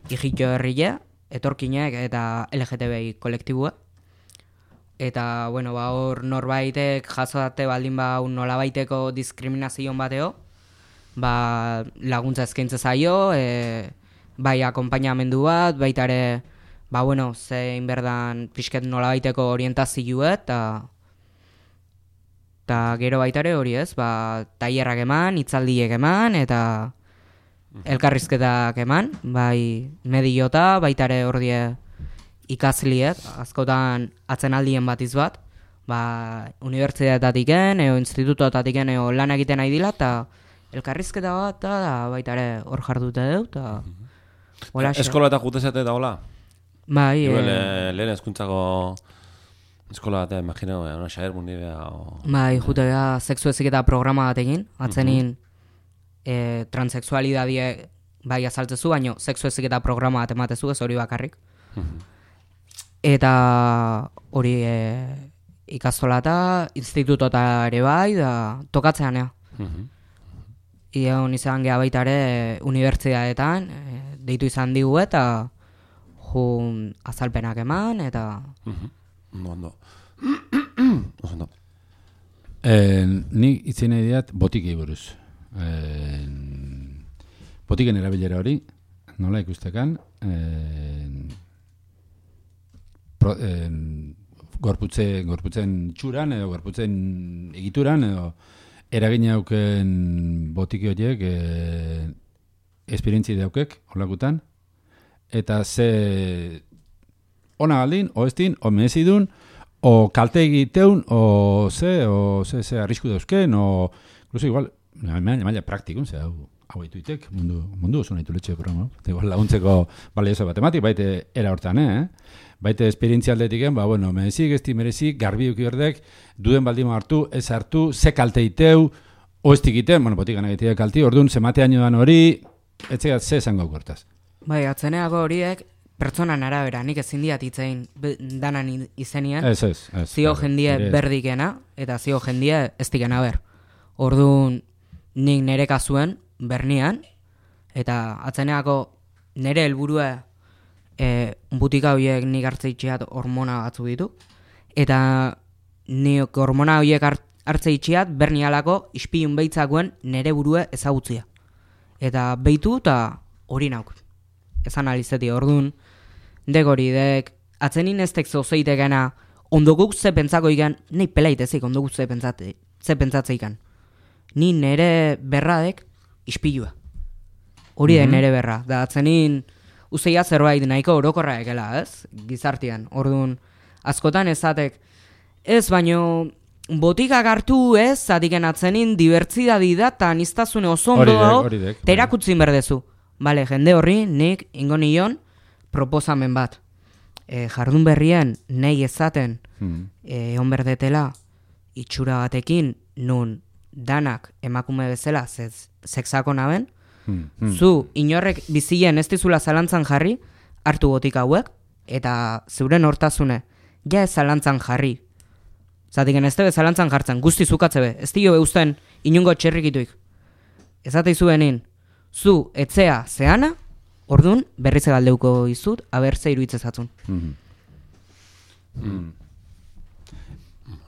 Ijito herrile, etorkinek eta LGTBI kolektibua. Eta, bueno, hor norbaitek jasodate baldin nolabaiteko diskriminazioen bateo, laguntza eskaintze zaio, bai akonpainamendu bat, baitare, zein berdan pixket nolabaiteko orientazioa, eta gero baitare hori ez, tailerrak eman, hitzaldiek eman, eta elkarrizketak eman, bai mediota, baita ere ordie ikasliek, askotan atzenaldien batiz bat, unibertsitateatiken, institutoetatiken, lan egiten nahi dila, eta elkarrizketa bat, eta baita ere hor jardute dut, eta... Eskola eta jutezate da hola? Bai, lehen hezkuntzako eskola bat, imagino, una xaer mundibea... Bai, jutea sexu heziketa programa bat egin, atzenin transexualidadie bai azaltzezu, baino sexu heziketa programa bat ematezu, ez hori bakarrik. Eta hori ikastola eta institutota ere bai, da tokatzean, ea. Ion izan geha baita ere unibertsitateetan, deitu izan digu eta jun azalpenak eman, eta... Ondo. Ondo. Ni itzen nahi diat botikei buruz. Botiken erabilera hori, nola ikustekan, gorputzen txuran edo gorputzen egituran edo eragin hauken botiki horiek esperientzi daukek holakutan eta ze ona galdin, o estin, o mehezidun, o kalte egiteun, o ze arrisku dauzken, o incluso igual maila praktikun, ze hau ituitek, mundu oso nahi tuletxe programa, igual laguntzeko balioso matematik, baite era hortan, baite esperientzia aldetiken, merezik, esti merezik, garbi uki berdek, duden baldima hartu, ez hartu, ze kalte iteu, o estik iten, botikan egitea kalti, orduan, ze mateaino dan hori, etzegat ze esango kortaz. Bai, atzeneako horiek, pertsonan arabera, nik ezin diat itzein danan izenien, zio jendie berdikena, eta zio jendie ez dikena ber. Orduan, nik nire kasuen, bernian, eta atzeneako nire helburua butika horiek nik hartzeitxeat hormona batzu ditu, eta nik hormona horiek hartzeitxeat bernialako ispilun behitzakuen nire burua ezagutzia. Eta behitu eta hori nauk. Ezan alizeti, orduan, dek hori, dek atzenin ez tek zozeitekena ondokuk ze pentsako ikan, nahi pelaitezik ondokuk ze pentsatze ikan. Ni nire berradek ispilua. Hori da nire berra. Da atzenin uzeia zerbait nahiko orokorra ekela, ez? Gizartian. Orduan, askotan ezatek, ez baino botikak hartu ez, zatiken atzenin dibertsidadi da, eta niztazune oso ondo dago, eta erakutzin berdezu. Bale, jende horri, nik ingo nion proposamen bat. Jardun berrien nahi ezaten egon berdetela itxura batekin nun danak emakume bezala sexako naben, zu inorrek bizien ez dizula zalantzan jarri, hartu botik hauek, eta zeuren hortasune, ja ez zalantzan jarri. Zatiken ez tebe zalantzan jartzen, guzti zukatze be, ez dio eusten inungo txerrikituik. Ezate izuenin, zu etzea zeana, orduan berrize galdeuko izut, abertze iruitzezatzun.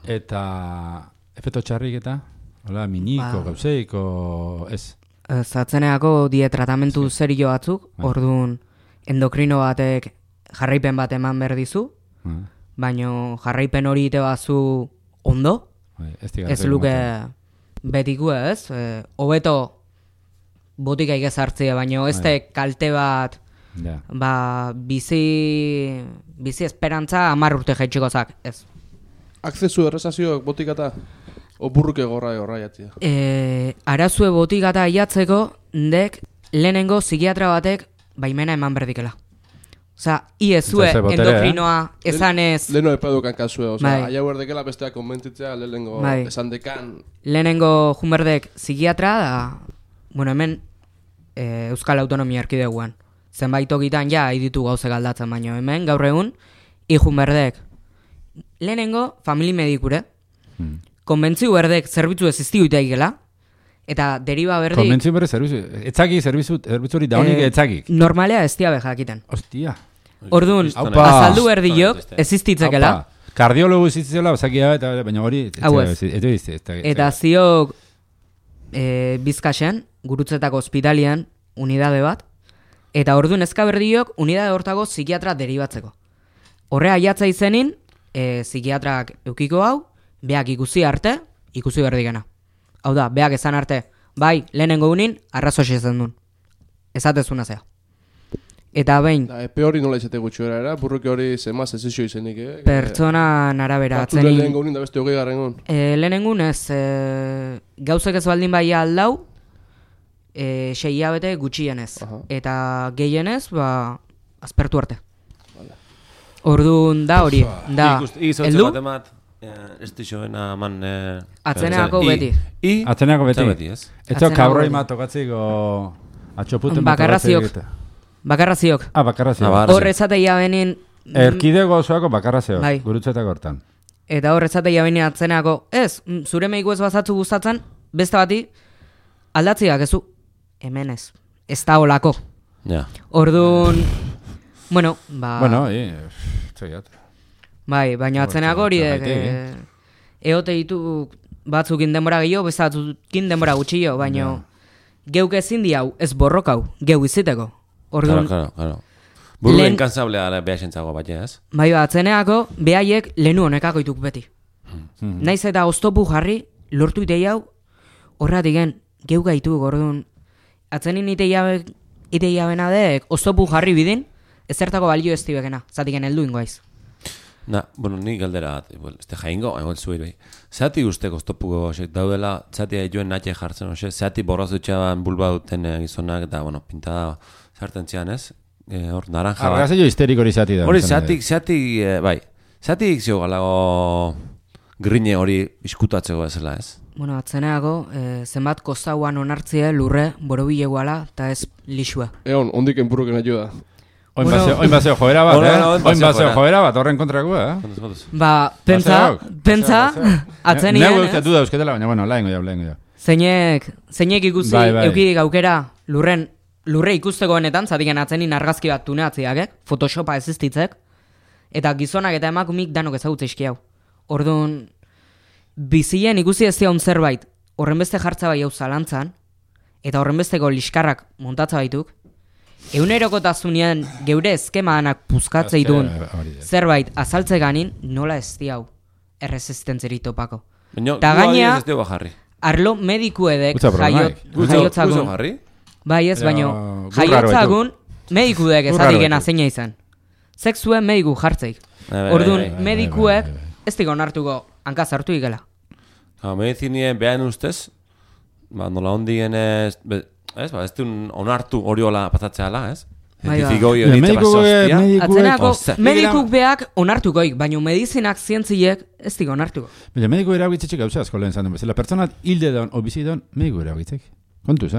Eta efeto txarrik eta? Hola, miniko, gauzeiko, ez? Zatzeneako die tratamentu zerio batzuk, orduan endokrino batek jarraipen bat eman berdizu, baino jarraipen hori ite bazu ondo, ez luke betiku ez, hobeto botika igez hartzea, baino ez te kalte bat, bizi esperantza 10 urte jaitxikozak, ez. Akzesu errezazioak botikata, oburruke gorra jatzea. Arazue botikata iatzeko, dek lehenengo psikiatra batek baimena eman berdikela. Osa, iezue endokrinoa esan ez... Leheno epadukan kasue, oza, aia berdekela besteak konbentitzea lehenengo esan dekan... Lehenengo junberdek psikiatra da, hemen Euskal Autonomia Erkideguan. Zenbait tokitan ja, ditu gauze galdatzen, baino hemen, gaur egun, junberdek lehenengo famili medikure, konbentziu berdek zerbitzu ez iztiu itaikela, eta deriba berdik... Konbentziu berdek zerbitzu, etzaki zerbitzu hori daunik etzakik. Normalea ez dia bejakiten. Ostia. Orduan, azaldu berdiok ez iztitzekela. Kardiologu iztitzela, bazakia, baina hori... Eta ziok Bizkasen, gurutzetako ospitalian, unidade bat, eta orduan ezkaberdiok unidade hortako psikiatra deribatzeko. Horre aiatza izenin, psikiatrak eukiko hau, beak ikusi arte, ikusi berdikena. Hau da, beak esan arte, bai, lehenengo unin, arrazoxe zen duen. ezatezuna zea. Eta behin, Da, epe hori nola izate gutxi era, burruke hori zemaz ez izio izenik, pertsonan arabera Hartu den lehen atzenin. gaunin da beste 20 gon. Lehenengun ez, gauzek ez baldin bai aldau, 6 hilabete gutxienez. Aha. Eta gehienez, azpertu arte. Orduan da hori, da, Igizotze heldu, bat emat, ez dixoena man... Atzeneako beti. Atzeneako beti. Beti, ez? Ez Atzeneako kabroi beti. ma tokatziko atxoputen Bakarraziok. Bakarraziok. Bakarraziok. Hor ezateia benin, Erkidego osoako bakarraziok, Bai. gurutzetako hortan. eta hor ezateia benin atzeneako, ez, zure meiku ez bazatzu gustatzen, beste bati, aldatziak ezu, hemen ez da olako. Ja. Orduan, bueno, Bueno, txegiat. bai, baina atzeneako hori Zergatik, eote ditu batzukin denbora gehiago, beste batzukin denbora gutxio, baina geuk ezin di hau, ez borrokau, geu iziteko. Orduan, Claro. Buruen Lehen- kansablea behar sentzago bat, ez? bai, atzeneako behaiek lehenu honekako ituk beti. Naiz eta oztopu jarri, lortu itei hau, horratik gen, geu gaitu, orduan, atzenin itei jabena dek, oztopu jarri bidin, ezertako balio ez tibekena, zatik heldu ingoaiz. Bueno, ni galdera bat, este jaingo, igual zuir bai. Zati usteko oztopuko daudela, zati joen natxe jartzen, zati borraz dutxaban bulba duten gizonak, eta, bueno, pintada zarten zian, ez? Hor, naranja bat. Argazio histerik hori zati da. Hori, zati, bai, zati zio galago grine hori iskutatzeko ezela, ez? Bueno, atzeneako, zenbat kostauan onartzia lurre, borobileguala, eta ez lixua. Egon, ondik enpurruken ayuda. Oin Bueno. baseo joera bat, Bueno, oin Oin baseo baseo joera. joera bat, horren kontrakoa, Kontuz. Pentsa, atzenien, Neu eusketu da eusketela, baina, bueno, lahengo jau. zeinek ikusi Bai. eukidik aukera lurre ikusteko benetan, zatiken atzenin argazki bat tuneatziak, Photoshopa existitzek, eta gizonak eta emakumik danok ezagutze iski hau. Orduan, bizien ikusi ez zion zerbait, horrenbeste jartza bai hau zalantzan, eta horrenbesteko liskarrak montatza baituk, egunerokotasunean geure eskemanak puzkatze ditun zerbait azaltze ganin, nola ez di hau erresistentzeri topako. Baina, Ta gaina- ez dugu jarri. Arlo medikuedek Gutza problemaik. Guzo jaiotzagun, jarri? bai ez, Ja, baino, gurraro jaiotzagun medikudek Gurraro ezatik gena baitu. zeina izan. Sexuen mediku jartzeik. Bai, Orduan, bai, bai, medikuek ez dik onartuko hankaz hartu ikela. Medizinien behan ustez, nola ondien ez, ez duen onartu hori hola patatzea ala, ez? Bai, Zientifiko hori Ja, ditza basostia. Atzenako, Ostia. medikuk beak onartukoik, baino medizinak zientziek ez dik onartuko. Baina mediku erabitzitzik gauza asko lehen zan. Zela pertsonat hilde don, o bizi don, mediku erabitzik. Kontuz,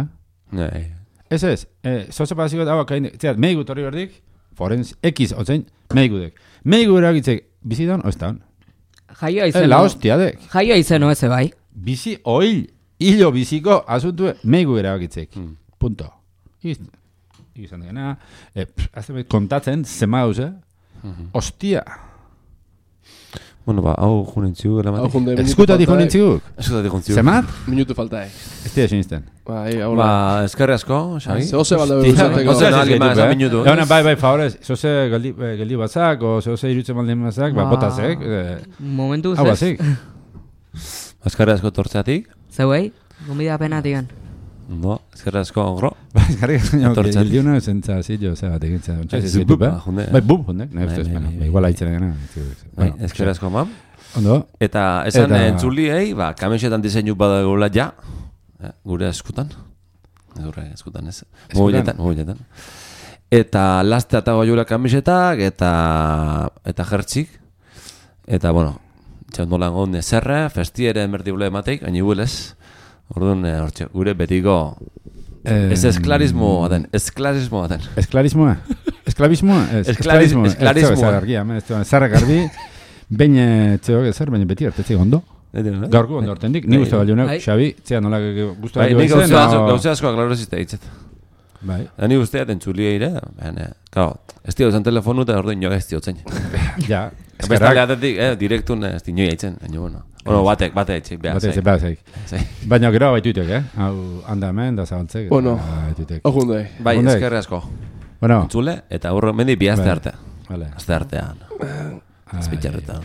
Nei. Ez, zoze pasiko da, zeat, mediku torri berdik, forenz, X, otzein, mediku dek. Mediku erabitzik, bizi don, oz da hon. Jaioa izeno. La hostia dek. Jaioa izeno eze bai. Bizi, oil, hilo biziko, asuntu, mediku erabitzik. Punto. Izan dena, kontatzen, zema gauze, ostia. Bueno, hau junentziu gela Hau junde, Eskutati jonintziguk. Eskutati junentziu. Zemat? Minutu falta, Ez dira sinisten. Bai, hola. Eskerri asko, Xabi. Zehose balda Hostia, beruzateko. Ose, no, alguien más, minutu. Bai, favorez, zoze geldi batzak, o zoze irutzen baldin batzak, botazek. Momentu Hau zez. bazik. Eskerri asko tortzeatik. Zeuei, gombida penatigan. No, eskerri asko ogro. Eskarri, Etortzat. geldi una zentza zillo, zegatik entzia. Bup, junde. Bai, bup, hundek, nahi ustez, Bai, bai, igual haitzen dena. Bai, eskerri asko mam. Ondo, Eta esan Eta- entzuliei, kamisetan diseinu badagula ja, gure eskutan. Gure eskutan ez. Mobiletan. Eta laste eta goiula kamisetak, eta jertzik. Eta, bueno, txandolan gonde zerre, festiere enberdibule emateik, hain ibulez. Orduan, hortxe, gure betiko, ez esklarismoa den. Esklarismoa? Esklarismoa. Zarra garbi, baina txeok ezer, baina beti hartetzik ondo. Gaurko ondo hartendik, ni guztu balionak, Bai. Xabi, zea nola guztu Bai, balio nik izen. gauza asko aklarozizte ditzet. Bai, Ni guztiat entzulia ire, claro, ez dio zen telefonu eta orduan joa ez diotzen. ja. Bestale atetik, direktun ez dinoi eitzen, baina bueno. Bueno, batek etxik, behar Bate, zaik. zeik. Baina gero baituitek, Hau handa hemen, da zabaltzek. Bueno. Baituitek. Hau junde. Bai, Ondek. eskerri asko. Bueno, Entzule, eta hurro mendi bi azte Bai. arte. vale. Azte artean. Azpitxarretan.